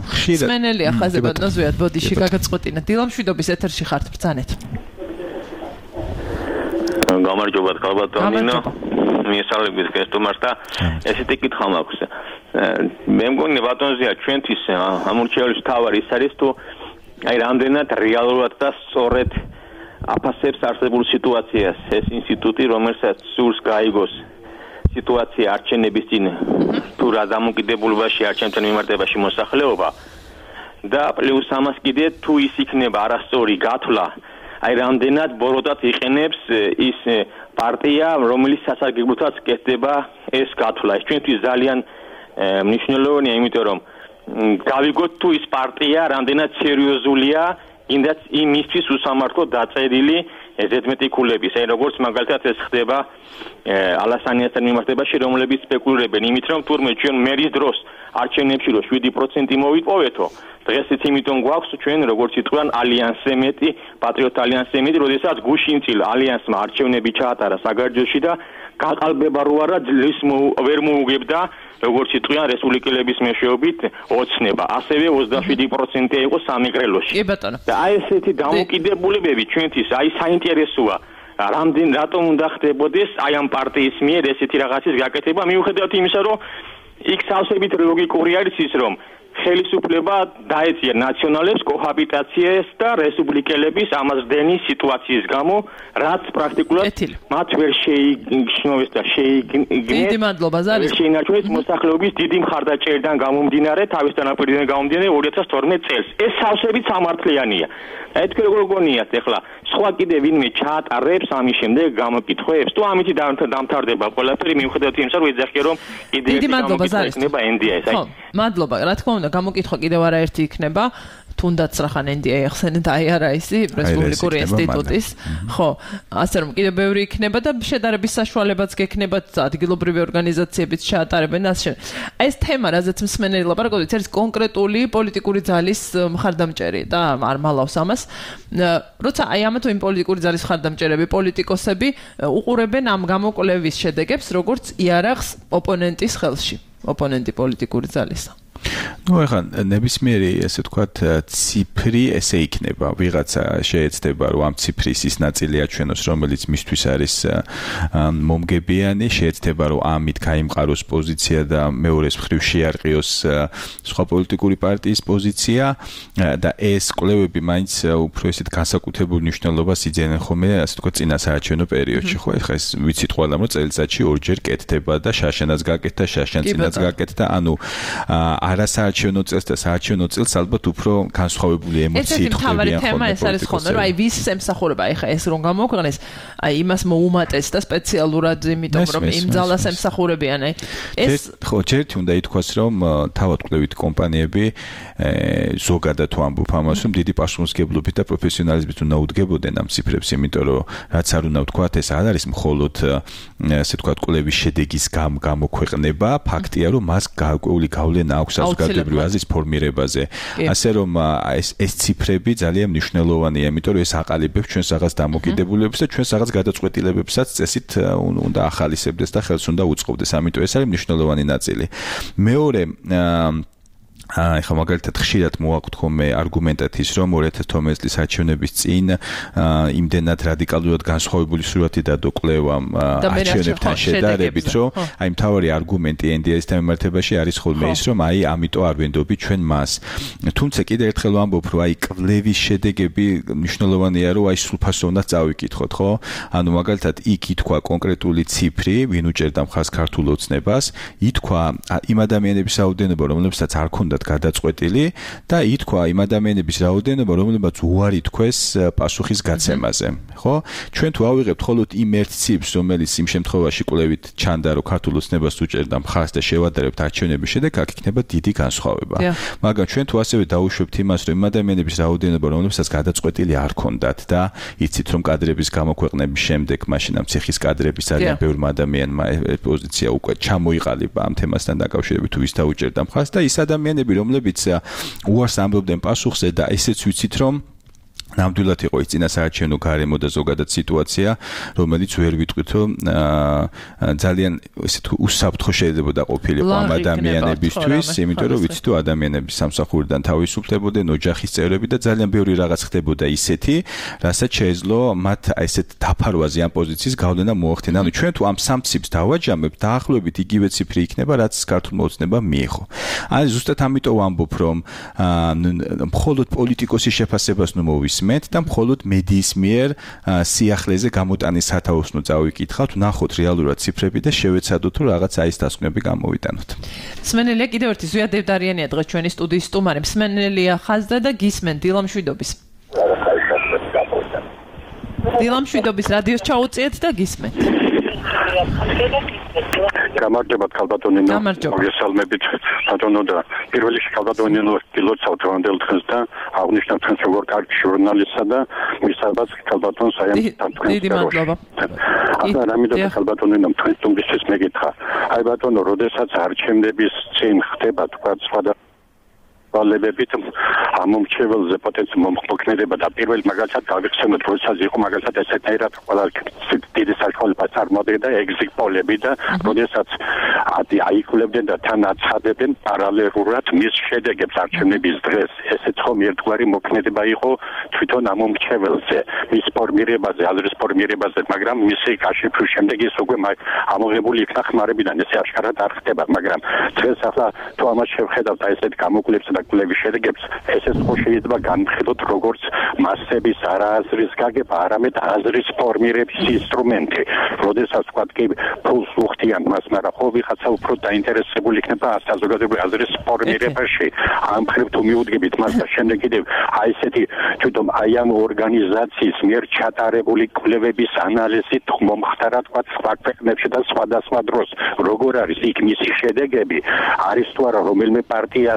სმენელია ხაზებადნა ზვიად ბოდიში გაგაწყვეტინა. დილამშვიდობის ეთერში ხართ ბრძანეთ. გამარჯობა ხალბატონინო. მიესალმებით გესტუმარს და ესეთი კითხვა მაქვს. მე მგონი ბატონზია ჩვენთვის ამორჩეულის თავარი ის არის თუ აი რამდენად რეალურად და სწორედ აფასებს არსებულ სიტუაციას ეს ინსტიტუტი, რომელსაც სურს გაიგოს სიტუაცია არჩევნების წინ თუ რა დამოკიდებულებაში არჩევნებთან მიმართებაში მოსახლეობა და პლუს ამას კიდე თუ ის იქნება არასწორი გათვლა, აი რამდენად ბოროტად იყენებს ის პარტია, რომელიც სასარგებლოთაც კეთდება ეს გათვლა. ეს ჩვენთვის ძალიან მნიშვნელოვანია, იმიტომ რომ გავიგოთ თუ ის პარტია რამდენად სერიოზულია ინდაც იმისთვის უსამართლო დაწერილი ზედმეტიკულების, აი როგორც მაგალითად ეს ხდება ალასანიასთან მიმართებაში, რომლებიც სპეკულირებენ იმით, რომ თურმე ჩვენ მერის დროს არჩევნებში რო 7% მოვიპოვეთო, დღესაც იმიტომ გვაქვს ჩვენ როგორც იტყვიან ალიანსზე მეტი, პატრიოტ ალიანსზე მეტი, როდესაც გუშინწილ ალიანსმა არჩევნები ჩაატარა საგარეჯოში და გაყალბება რო არა ძლივს ვერ მოუგებდა როგორც იტყვიან რესპუბლიკელების მეშვეობით ოცნება, ასევე 27% იყო სამეგრელოში. კი ბატონო. და აი ესეთი დამოკიდებულებები ჩვენთვის აი საინტერესოა. რატომ უნდა ხდებოდეს აი ამ პარტიის მიერ ესეთი რაღაცის გაკეთება, მიუხედავად იმისა, რომ იქ სავსებით ლოგიკური არის ის, რომ ხელისუფლება დაეწია ნაციონალებს კოჰაბიტაციას და რესპუბლიკელების ამაზრდენის სიტუაციის გამო, რაც პრაქტიკულად მათ ვერ შეიგრძნოს და დიდი მადლობა ზარის. შეინარჩუნეს მოსახლეობის დიდი მხარდაჭერიდან გამომდინარე, თავის დანაკვირიდან გამომდინარე 2012 წელს. ეს სავსებით სამართლიანია. აი თქვენ როგორ გონიათ ახლა სხვა კიდე ვინმე ჩაატარებს ამის შემდეგ გამოკითხვებს თუ ამით დამთავრდება ყველაფერი მიუხედავად იმისა, რომ ეძახიან რომ კიდე დიდი მადლობა ზარის. იქნება NDI-ს. ხო, მადლობა. რა თქმა უნდა, გამოკითხვა კიდევ არაერთი იქნება. თუნდაც რახან NDI ახსენეთ აი არა ისი რესპუბლიკური ინსტიტუტის. ხო, ასე რომ კიდევ ბევრი იქნება და შედარების საშუალებაც გექნებათ ადგილობრივი ორგანიზაციებიც ჩაატარებენ ასე. ეს თემა, რაზეც მსმენელი ლაპარაკობს, არის კონკრეტული პოლიტიკური ძალის მხარდამჭერი და არ მალავს ამას. როცა აი ამა თუ იმ პოლიტიკური ძალის მხარდამჭერები, პოლიტიკოსები უყურებენ ამ გამოკვლევის შედეგებს, როგორც იარაღს ოპონენტის ხელში, ოპონენტი პოლიტიკური ძალისა. ну ეხლა ნებისმიერი ესე ვთქვათ ციფრი ესე იქნება ვიღაცა შეეცდება რომ ამ ციფრის ის ნაწილი აჩვენოს რომელიც მისთვის არის მომგებიანი შეეცდება რომ ამით გაიმყაროს პოზიცია და მეორეს მხრივ შეარყიოს სხვა პოლიტიკური პარტიის პოზიცია და ეს კვლევები მაინც უფრო ესეთ განსაკუთრებულ მნიშვნელობას იძენენ ხოლმე ასე ვთქვათ წინასაარჩევნო პერიოდში ხო ეხლა ეს ვიცით ყველამ რომ წელიწადში ორჯერ კეთდება და შაშანაც გაკეთდა შაშანცინაც გაკეთდა ანუ არასაარჩევნო წელს და საარჩევნო წელს ალბათ უფრო განსხვავებული ემოციები ხდებიან თემა ეს არის ხოლმე რომ აი ვის ემსახურება აი ხა ეს რომ გამოგვიყენეს აი იმას მოუმატეს და სპეციალურად იმიტომ რომ იმ ძალას ემსახურებიან აი ეს ხო ჯერთ უნდა ითქვას რომ თავად კვლევით კომპანიები ზოგადად თუ ამბობ ამას რომ დიდი პასუხისმგებლობით და პროფესიონალიზმით უნდა უდგებოდნენ ამ ციფრებს იმიტომ რომ რაც არ უნდა ვთქვათ ეს არ არის მხოლოდ ასე ვთქვათ კვლევის შედეგის გამოქვეყნება ფაქტია რომ მას გარკვეული გავლენა აქვს საზოგადოებრივი აზრის ფორმირებაზე. ასე რომ ეს ციფრები ძალიან მნიშვნელოვანია, იმიტომ რომ ეს აყალიბებს ჩვენს რაღაც დამოკიდებულებებს და ჩვენს რაღაც გადაწყვეტილებებსაც წესით უნდა ახალისებდეს და ხელს უნდა უწყობდეს. ამიტომ ეს არის მნიშვნელოვანი ნაწილი. მეორე ეხლა მაგალითად ხშირად მოვაყოთ ხოლმე არგუმენტად ის რომ 2012 წლის არჩევნების წინ იმდენად რადიკალურად განსხვავებული სურათი დადო კვლევამ არჩევნებთან შედარებით რომ აი მთავარი არგუმენტი NDI-ს მიმართებაში არის ხოლმე ის რომ აი ამიტომ არ ვენდობი ჩვენ მას თუმცა კიდევ ერთხელ ვამბობ რომ აი კვლევის შედეგები მნიშვნელოვანია რომ აი სრულფასო უნდა წავიკითხოთ ხო ანუ მაგალითად იქ ითქვა კონკრეტული ციფრი ვინ უჭერდა მხარს ქართულ ოცნებას ითქვა იმ ადამიანების რაოდენობა რომლებსაც არ ქონდათ გადაწყვეტილი და ითქვა იმ ადამიანების რაოდენობა რომლებსაც უარი თქვეს პასუხის გაცემაზე ხო ჩვენ თუ ავიღებთ მხოლოდ იმ ერთ ციფრს რომელიც იმ შემთხვევაში კვლევით ჩანდა რომ ქართულ ოცნებას უჭერდა მხარს და შევადარებთ არჩევნების შედეგს აქ იქნება დიდი განსხვავება მაგრამ ჩვენ თუ ასევე დაუშვებთ იმას რომ იმ ადამიანების რაოდენობა რომლებსაც გადაწყვეტილი არ ქონდათ და იცით რომ კადრების გამოქვეყნების შემდეგ მაშინ ამ ციხის კადრების ძალიან ბევრ ადამიანმა პოზიცია უკვე ჩამოიყალიბა ამ თემასთან დაკავშირებით თუ ვის დაუჭერდა მხარს და ის ადამიანები რომლებიც უარს ამბობდნენ პასუხზე და ესეც ვიცით რომ ნამდვილად იყო ის წინასაარჩევნო გარემო და ზოგადად სიტუაცია რომელიც ვერ ვიტყვით რომ ძალიან ესე თუ უსაფრთხო შეიძლება ყოფილიყო ამ ადამიანებისთვის იმიტომ რომ ვიცით რომ ადამიანები სამსახურიდან თავისუფლებოდნენ ოჯახის წევრები და ძალიან ბევრი რაღაც ხდებოდა ისეთი რასაც შეეძლო მათ ესეთ დაფარვაზე ამ პოზიციის გავლენა მოახდინა ანუ ჩვენ თუ ამ სამ ციფრს დავაჯამებთ დაახლოებით იგივე ციფრი იქნება რაც ქართულმა ოცნებამ მიიღო აი ზუსტად ამიტომ ვამბობ რომ მხოლოდ პოლიტიკოსის შეფასებას ნუ მოვისმენთ და მხოლოდ მედიის მიერ სიახლეზე გამოტანის სათაოსნო წავიკითხავთ, ნახოთ რეალურად ციფრები და შევეცადოთ რომ რაღაც აი ეს დასკვნები გამოვიტანოთ. მსმენელია კიდევ ერთი ზვია დევდარიანია დღეს ჩვენი სტუდიის სტუმარი. მსმენელია ხაზდა და გისმენ დილამშვიდობის. დილამშვიდობის რადიოს ჩაუწიეთ და გისმენთ. გამარჯობათ ქალბატონინო მოგესალმებით ბატონო და პირველ რიგში ქალბატონინო გილოცავთ რამდელ დღეს და აღნიშნავთ თქვენს როგორ კარგი ჟურნალისტსა და მისაბაც ქალბატონს აი ამ დიდი მადლობა ახლა რამიდან ქალბატონინო თქვენ სტუმრისთვის მეკითხა აი ბატონო როდესაც არჩევნების წინ ხდება თქვა სხვადასხვა საშუალებებით ამომრჩეველზე პოტენციალ მომხმოქმედება და პირველ მაგალითად გავიხსენოთ როდესაც იყო მაგალითად ესეთაირად ყველა დიდი საშუალება წარმოადგენდა exit polls-ები და როდესაც აიკულებდნენ და თან აცხადებდნენ პარალელურად მის შედეგებს არჩევნების დღეს ესეც ხომ ერთგვარი მოქმედება იყო თვითონ ამომრჩეველზე მის ფორმირებაზე აზრის ფორმირებაზე მაგრამ მისი გაშიფვრის შემდეგ ის უკვე ამოღებული იქნა ხმარებიდან ესე აშკარად არ ხდება მაგრამ დღეს ახლა თუ ამას შევხედავთ აი ესეთ გამოკვლევებს და კვლევის შედეგებს ესეც ხო შეიძლება განვხედოთ როგორც მასების არააზრის გაგება არამედ აზრის ფორმირების ინსტრუმენტი როდესაც თქვა კი ფულს უხდიან მას მაგრამ ხო ვიღაცა უფრო დაინტერესებული იქნება საზოგადოებრივი აზრის ფორმირებაში ამ მხრივ თუ მიუდგებით მას და შემდეგ კიდევ აი ესეთი თვითონ აი ამ ორგანიზაციის მიერ ჩატარებული კვლევების ანალიზით მომხდარა თქვა სხვა ქვეყნებში და სხვადასხვა დროს როგორ არის იქ მისი შედეგები არის თუ არა რომელიმე პარტია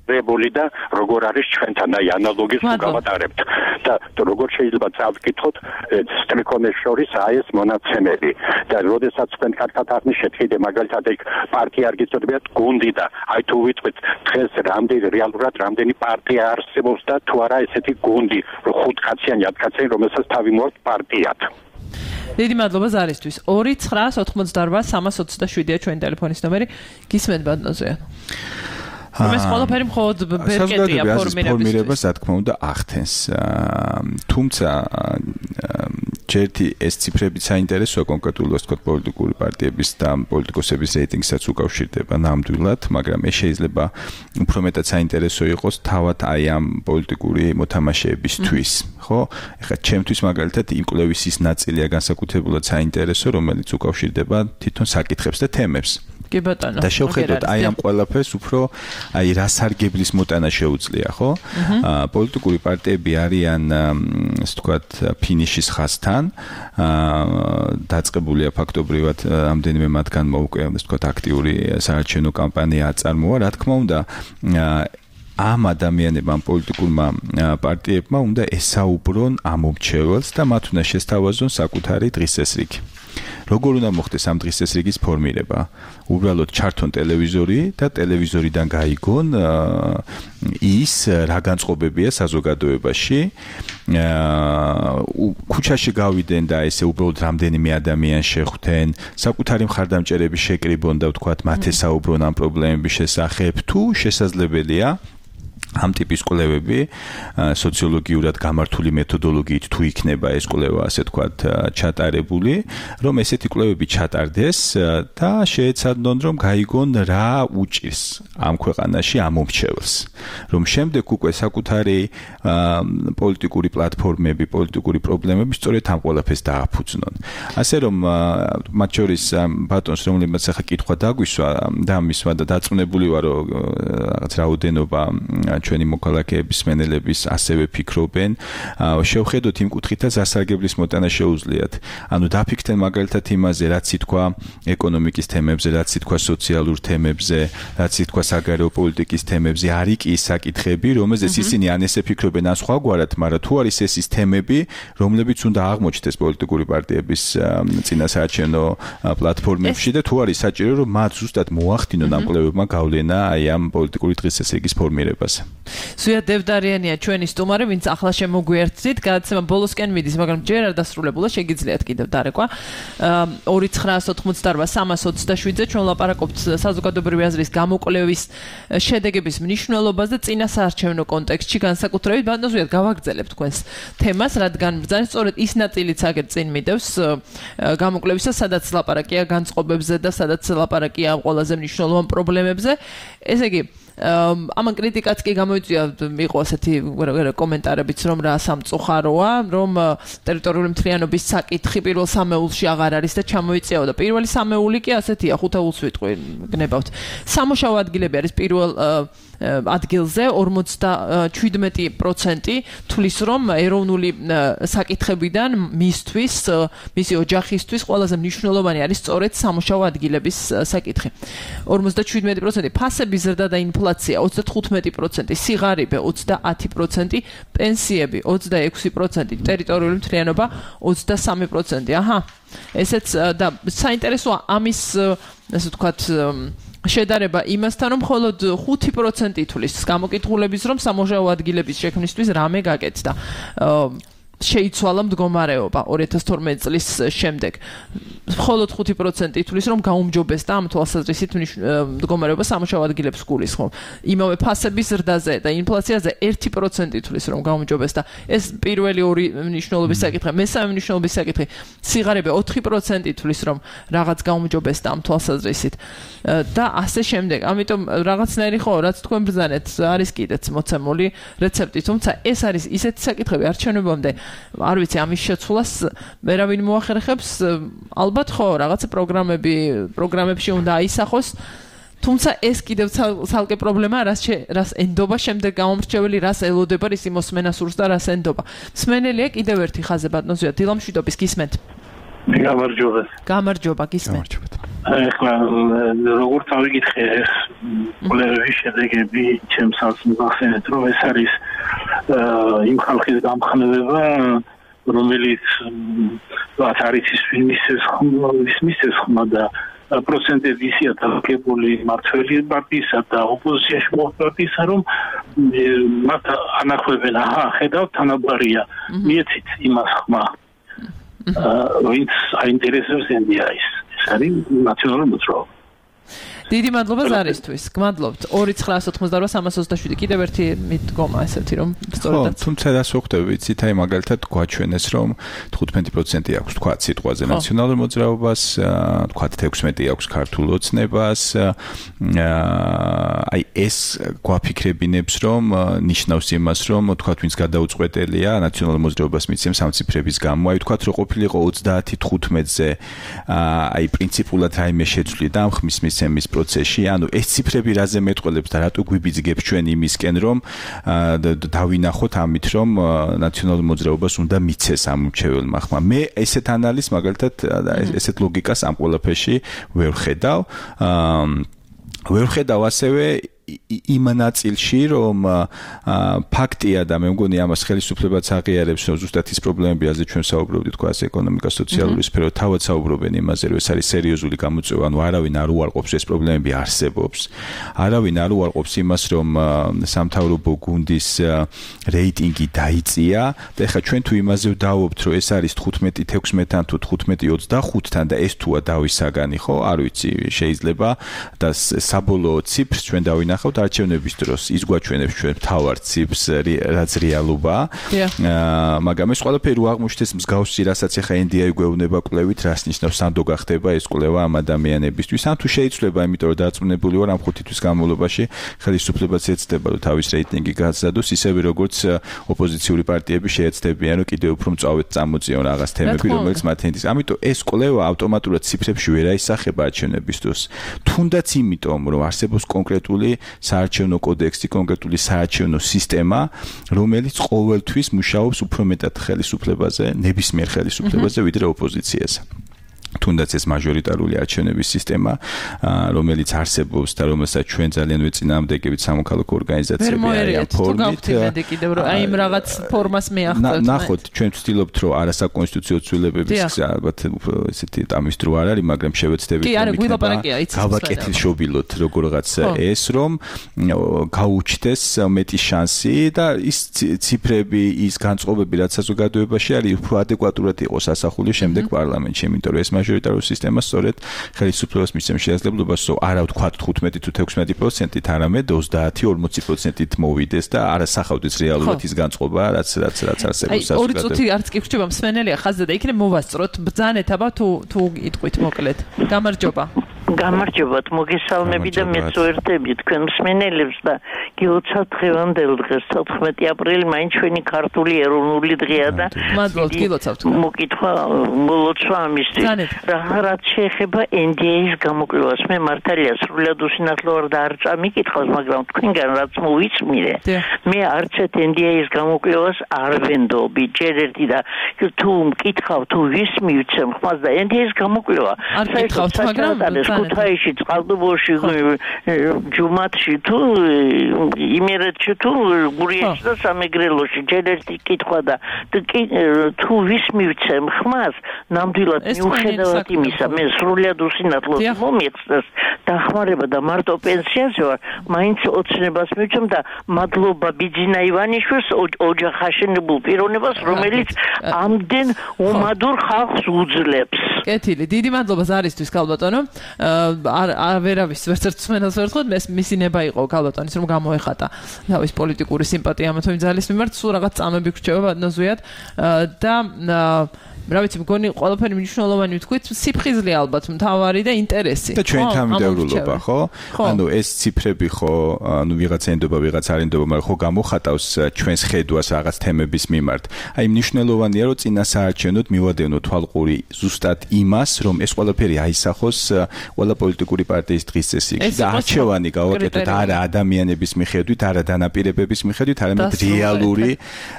რებული და როგორ არის ჩვენთან აი ანალოგის გავატარებთ და როგორ შეიძლება წავკითხოთ სტრიქონეს შორის აი ეს მონაცემები და როდესაც თქვენ კარგად აღნიშნეთ კიდე მაგალითად ეგ პარტია არ გიწოდებიათ გუნდი და აი თუ ვიტყვით დღეს რეალურად რამდენი პარტია არსებობს და თუ არა ესეთი გუნდი 5 კაციანი 10 კაციანი რომელსაც თავი მოაქვს პარტიად დიდი მადლობა ზარისთვის 2988327-ია ჩვენი ტელეფონის ნომერი გისმენთ ბატონზე ეს ყველაფერი მხოლოდ ბერკეტია ფორმირებას რა თქმა უნდა ახდენს თუმცა ჯერტი ეს ციფრები საინტერესოა კონკრეტულად თქვა პოლიტიკური პარტიების და პოლიტიკოსების რეიტინგსაც უკავშირდება ნამდვილად მაგრამ ეს შეიძლება უფრო მეტად საინტერესო იყოს თავად აი ამ პოლიტიკური მოთამაშეებისთვის ხო ეხლა ჩემთვის მაგალითად იმ კვლევის ის ნაწილია განსაკუთრებულად საინტერესო რომელიც უკავშირდება თვითონ საკითხებს და თემებს კი ბატონო და შევხედოთ აი ამ ყველაფერს უფრო აი რა სარგებლის მოტანა შეუძლია ხო პოლიტიკური პარტიები არიან ასე ვთქვათ ფინიშის ხაზთან დაწყებულია ფაქტობრივად ამდენიმე მათგანმა უკვე ასე ვთქვათ აქტიური საარჩევნო კამპანია აწარმოა რა თქმა უნდა ამ ადამიანებმა პოლიტიკურმა პარტიებმა უნდა ესაუბრონ ამომრჩეველს და მათ უნდა შესთავაზონ საკუთარი დღესასრიგი როგორ უნდა მოხდეს ამ დღესასრიგის ფორმირება? უბრალოდ ჩართონ ტელევიზორი და ტელევიზორიდან გაიგონ ის რა განწყობებია საზოგადოებაში. ქუჩაში გავიდენ და ესე უბრალოდ რამდენიმე ადამიანს შეხვდნენ, საკუთარი მხარდამჭერები შეკრიბონ და ვთქვათ მათ ესაუბრონ ამ პრობლემების შესახებ, თუ შესაძლებელია ამ ტიპის კვლევები სოციოლოგიურად გამართული მეთოდოლოგიით თუ იქნება ეს კვლევა ასე თქვათ ჩატარებული, რომ ესეთი კვლევები ჩატარდეს და შეეცადონ რომ გაიგონ რა უჭირს ამ ქვეყანაში ამომრჩეველს, რომ შემდეგ უკვე საკუთარი პოლიტიკური პლატფორმები, პოლიტიკური პრობლემები სწორედ ამ ყველაფერს დააფუძნონ. ასე რომ მათ შორის ბატონს რომლებიც ახლა კითხვა დაგვისვა და მისვა და დაწუნებული ვარ რომ რაღაც რაოდენობა ჩვენი მოქალაქეების მენელების ასევე ფიქრობენ, შევხედოთ იმ კუთხითაც ასარგებლის მოტანა შეუძლიათ. ანუ დაფიქრდნენ მაგალითად იმაზე, რაც ითქვა ეკონომიკის თემებზე, რაც ითქვა სოციალურ თემებზე, რაც ითქვა საგარეო პოლიტიკის თემებზე, არის კი ის საკითხები, რომელზეც ისინი ან ესე ფიქრობენ, ან სხვაგვარად, მაგრამ თუ არის ეს ის თემები, რომლებიც უნდა აღმოჩნდეს პოლიტიკური პარტიების წინასაარჩევნო პლატფორმებში და თუ არის საჭირო, რომ მათ ზუსტად მოახდინონ ამ კვლევებმა გავლენა აი ამ პოლიტიკური დღესასრიგის ფორმირებაზე. სვია დევდარიანია ჩვენი სტუმარი, ვინც ახლა შემოგვიერთდით, გადაცემა ბოლოსკენ მიდის, მაგრამ ჯერ არ დასრულებულა, შეგიძლიათ კიდევ დარეკვა. 2988327-ზე ჩვენ ვლაპარაკობთ საზოგადოებრივი აზრის გამოკვლევის შედეგების მნიშვნელობაზე წინასაარჩევნო კონტექსტში, განსაკუთრებით ბატონზეად გავაგრძელებთ თქვენს თემას, რადგან ბრძანის სწორედ ის ნაწილიც აგერ წინ მიდევს გამოკვლევისა, სადაც ლაპარაკია განწყობებზე და სადაც ლაპარაკია ამ ყველაზე მნიშვნელოვან პრობლემებზე. ესე იგი ამან კრიტიკაც კი გამოიწვია, იყო ასეთი კომენტარებიც, რომ რა სამწუხაროა, რომ ტერიტორიული მთლიანობის საკითხი პირველ სამეულში აღარ არის და ჩამოიწეოდა. პირველი სამეული კი ასეთია, 5 ულს ვიტყვი, გნებავთ. სამუშაო ადგილები არის პირველ ადგილზე 57% თulis რომ ეროვნული საკითხებიდან მისთვის, მისი ოჯახისთვის ყველაზე მნიშვნელოვანი არის სწორედ სამუშაო ადგილების საკითხი. 57% ფასების ზრდა და ინფლაცია 35%, სიღარიბე 30%, პენსიები 26%, ტერიტორიული მთლიანობა 23%. ესეც და საინტერესოა ამის ასე ვთქვათ შედარება იმასთან, რომ მხოლოდ 5% ითვლის გამოკითხულების, რომ სამუშაო ადგილების შექმნისთვის რამე გაკეთდა. შეიცვალა მდგომარეობა 2012 წლის შემდეგ. მხოლოდ 5% ითვლის, რომ გაუმჯობესდა ამ თვალსაზრისით მდგომარეობა სამუშაო ადგილებს გულისხმობ. იმავე ფასების ზრდაზე და ინფლაციაზე 1% ითვლის, რომ გაუმჯობესდა. ეს პირველი ორი მნიშვნელობის საკითხი, მესამე მნიშვნელობის საკითხი, სიღარიბე 4% ითვლის, რომ რაღაც გაუმჯობესდა ამ თვალსაზრისით. და ასე შემდეგ. ამიტომ რაღაცნაირი ხო, რაც თქვენ ბრძანეთ, არის კიდეც მოცემული რეცეპტი, თუმცა ეს არის ისეთი საკითხები არჩევნებამდე არ ვიცი ამის შეცვლას ვერავინ მოახერხებს ალბათ ხო რაღაცა პროგრამებში უნდა აისახოს თუმცა ეს კიდევ ცალკე პრობლემაა რას ენდობა შემდეგ გამომრჩეველი რას ელოდება რის იმოსმენა სურს და რას ენდობა მსმენელია კიდევ ერთი ხაზე ბატონო დილამშვიდობის გისმენთ გამარჯობა გისმენთ ეხლა როგორც ავიგითხე ეს კვლევების შედეგები ჩემს ახსენეთ რომ ეს არის იმ ხალხის გამხნევება რომელიც არის ისმის ხმა და პროცენტები ისია დაგებული მართველი პარტიისა და ოპოზიციაში პარტიისა რომ მათ ანახვებენ ხედავთ თანაბარია მიეცით იმას ხმა ვინც აინტერესებს ენდიაის ეს არის ნაციონალური მოძრაობა დიდი მადლობა ზარისთვის. გმადლობთ. 2988327 კიდევ ერთი მიდგომა ესეთი რომ სწორედაც. თუმცა რას ვხვდები ვიცით, აი მაგალითად გვაჩვენეს რომ 15% აქვს თქვა სიტყვაზე ნაციონალურ მოძრაობას, თქვა 16 აქვს ქართულ ოცნებას. აი ეს გვაფიქრებინებს რომ ნიშნავს იმას რომ თქვა ვინც გადაუწყვეტელია ნაციონალურ მოძრაობას მიცემს ამ ციფრების გამო. აი თქვა რომ ყოფილიყო 30-15-ზე აი პრინციპულად რაიმე შეცვლი და ამ ხმის მიცემის პროცესში, ანუ ეს ციფრები რაზე მეტყველებს და რატო გვიბიძგებს ჩვენ იმისკენ რომ დავინახოთ ამით რომ ნაციონალურ მოძრაობას უნდა მიცეს ამ მრჩეველმა ხმა. მე ესეთ ანალიზს მაგალითად ესეთ ლოგიკას ამ ყველაფერში ვერ ხედავ ასევე იმ ნაწილში რომ ფაქტია და მე მგონი ამას ხელისუფლებაც აღიარებს რომ ზუსტად ის პრობლემები რაზეც ჩვენ საუბრობდით თქვა ეკონომიკა სოციალური სფერო თავად საუბრობენ იმაზე რომ ეს არის სერიოზული გამოწვევა ანუ არავინ არ უარყოფს ეს პრობლემები არსებობს არავინ არ უარყოფს იმას რომ სამთავრობო გუნდის რეიტინგი დაიწია და ეხლა ჩვენ თუ იმაზე ვდავობთ რომ ეს არის 15-16-თან თუ 15-25-თან და ეს თუა დავის საგანი ხო არ ვიცი შეიძლება და საბოლოო ციფრს ჩვენ დავინახავთ არჩევნების დროს ის გვაჩვენებს ჩვენ მთავარ ციფრს რაც რეალობაა მაგრამ ეს ყველაფერი აღმოჩნდეს მსგავსი რასაც ახლა NDI გვეუბნება კვლევით რას ნიშნავს სანდო გახდება ეს კვლევა ამ ადამიანებისთვის ან თუ შეიძლება იმიტომ რომ დარწმუნებული ვარ ამ 5 თვის განმავლობაში ხელისუფლებაც ეცდება რომ თავის რეიტინგი გააზრდოს ისევე როგორც ოპოზიციური პარტიები შეეცდებიან რომ კიდევ უფრო მწვავედ წამოწიონ რაღაც თემები რომელიც მათ ენდის ამიტომ ეს კვლევა ავტომატურად ციფრებში ვერ აისახება არჩევნების დროს თუნდაც იმიტომ რომ არსებობს კონკრეტული საარჩევნო კოდექსი, კონკრეტული საარჩევნო სისტემა, რომელიც ყოველთვის მუშაობს უფრო მეტად ხელისუფლებაზე, ნებისმიერ ხელისუფლებაზე, ვიდრე ოპოზიციაზე. თუნდაც ეს მაჟორიტარული არჩევნების სისტემა, რომელიც არსებობს და რომელსაც ჩვენ ძალიან ვეწინააღმდეგებით სამოქალაქო ორგანიზაციები არიან ფორმით. აი იმ რაღაც ფორმას მეახდათ. ნახოთ, ჩვენ ვცდილობთ რომ არასაკონსტიტუციო ცვლილებების ალბათ ესეთი ამის დრო არ არის, მაგრამ შევეცდებით გავაკეთილშობილოთ როგორღაც ეს რომ გაუჩნდეს მეტი შანსი და ის ციფრები, ის განწყობები, რაც საზოგადოებაში არის, უფრო ადეკვატურად იყოს ასახული შემდეგ პარლამენტში, იმიტომ რომ ეს მაჟორიტარული სისტემა სწორედ ხელისუფლებას მისცემს შესაძლებლობას, რომ არა ვთქვათ 15 თუ 16%-ით, არამედ 30-40%-ით მოვიდეს და არასახავდეს რეალურად ის განწყობა, რაც არსებობს საზოგადოებაში. ორი წუთი არც კი ვრჩება მსმენელია ხაზზე და იქნებ მოვასწროთ. ბრძანეთ აბა თუ იტყვით მოკლედ. გამარჯობა. გამარჯობათ, მოგესალმები და მეწვევდები თქვენ მსმენელებს და გილოცავთ დღევანდელ დღეს 14 აპრილი მაინც ჩვენი ქართული ეროვნული დღეა და მადლობთ გილოცავთ. მოკითხვა მოლოცვა ამისთვის. რაც შეეხება NDI-ის გამოკვლევას, მე მართალია სრულად უსინათლო ვარ და არ წამიკითხავს, მაგრამ თქვენგან რაც მოვიწმირე, მე არცეთ NDI-ის გამოკვლევას არ ვენდობი. ჯერ ერთი და თუ მკითხავ თუ ვის მივცემ ხმას და NDI-ის გამოკვლევა არ გითხავთ, მაგრამ ქუთაისში, წყალტუბოში, ჯუმათში თუ იმერეთში თუ გურიაში და სამეგრელოში ჯერეთი კითხვა და თუ ვის მივცემ ხმას, ნამდვილად მიუხედავად იმისა, მე სრულად უსინათლოდ მომიხსნას დახმარება და მარტო პენსიაზე ვარ, მაინც ოცნებას მივცემ და მადლობა ბიძინა ივანიშვილს ოჯახაშენებულ პიროვნებას, რომელიც ამდენ უმადურ ხალხს უძლებს. კეთილი, დიდი მადლობა ზარისთვის ქალბატონო. ვერავის ვერცერთ მსმენელს ვერ ხვდეთ, მისი ნება იყო ქალბატონის რომ გამოეხატა თავის პოლიტიკური სიმპათია ამ თემის მიმართ, სულ რაღაც წამები გრჩება ბატონოზვიად და რა ვიცი, მგონი ყველაფერი მნიშვნელოვანი ვთქვით, სიფხიზლე ალბათ მთავარი და ინტერესი. და ჩვენ თანამდებობა, ხო? ანუ ეს ციფრები ხო, ანუ ვიღაცა ენდობა, ვიღაცა არ ენდობა, მაგრამ ხო გამოხატავს ჩვენს ხედვას რაღაც თემების მიმართ. აი მნიშვნელოვანია, რომ წინასაარჩევნოდ მივადევნოთ თვალყური ზუსტად იმას, რომ ეს ყველაფერი აისახოს ყველა პოლიტიკური პარტიის დღის წესრიგში და არჩევანი გავაკეთოთ არა ადამიანების მიხედვით, არა დანაპირებების მიხედვით, არამედ რეალური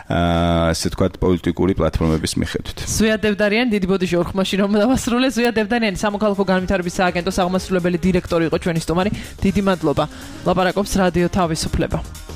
ასე ვთქვათ პოლიტიკური პლატფორმების მიხედვით. დევდარიანი, დიდი ბოდიში ორ ხმაში რომ დავასრულე. ზვია დევდარიანი, სამოქალაქო განვითარების სააგენტოს აღმასრულებელი დირექტორი იყო ჩვენი სტუმარი. დიდი მადლობა. ლაპარაკობს რადიო თავისუფლება.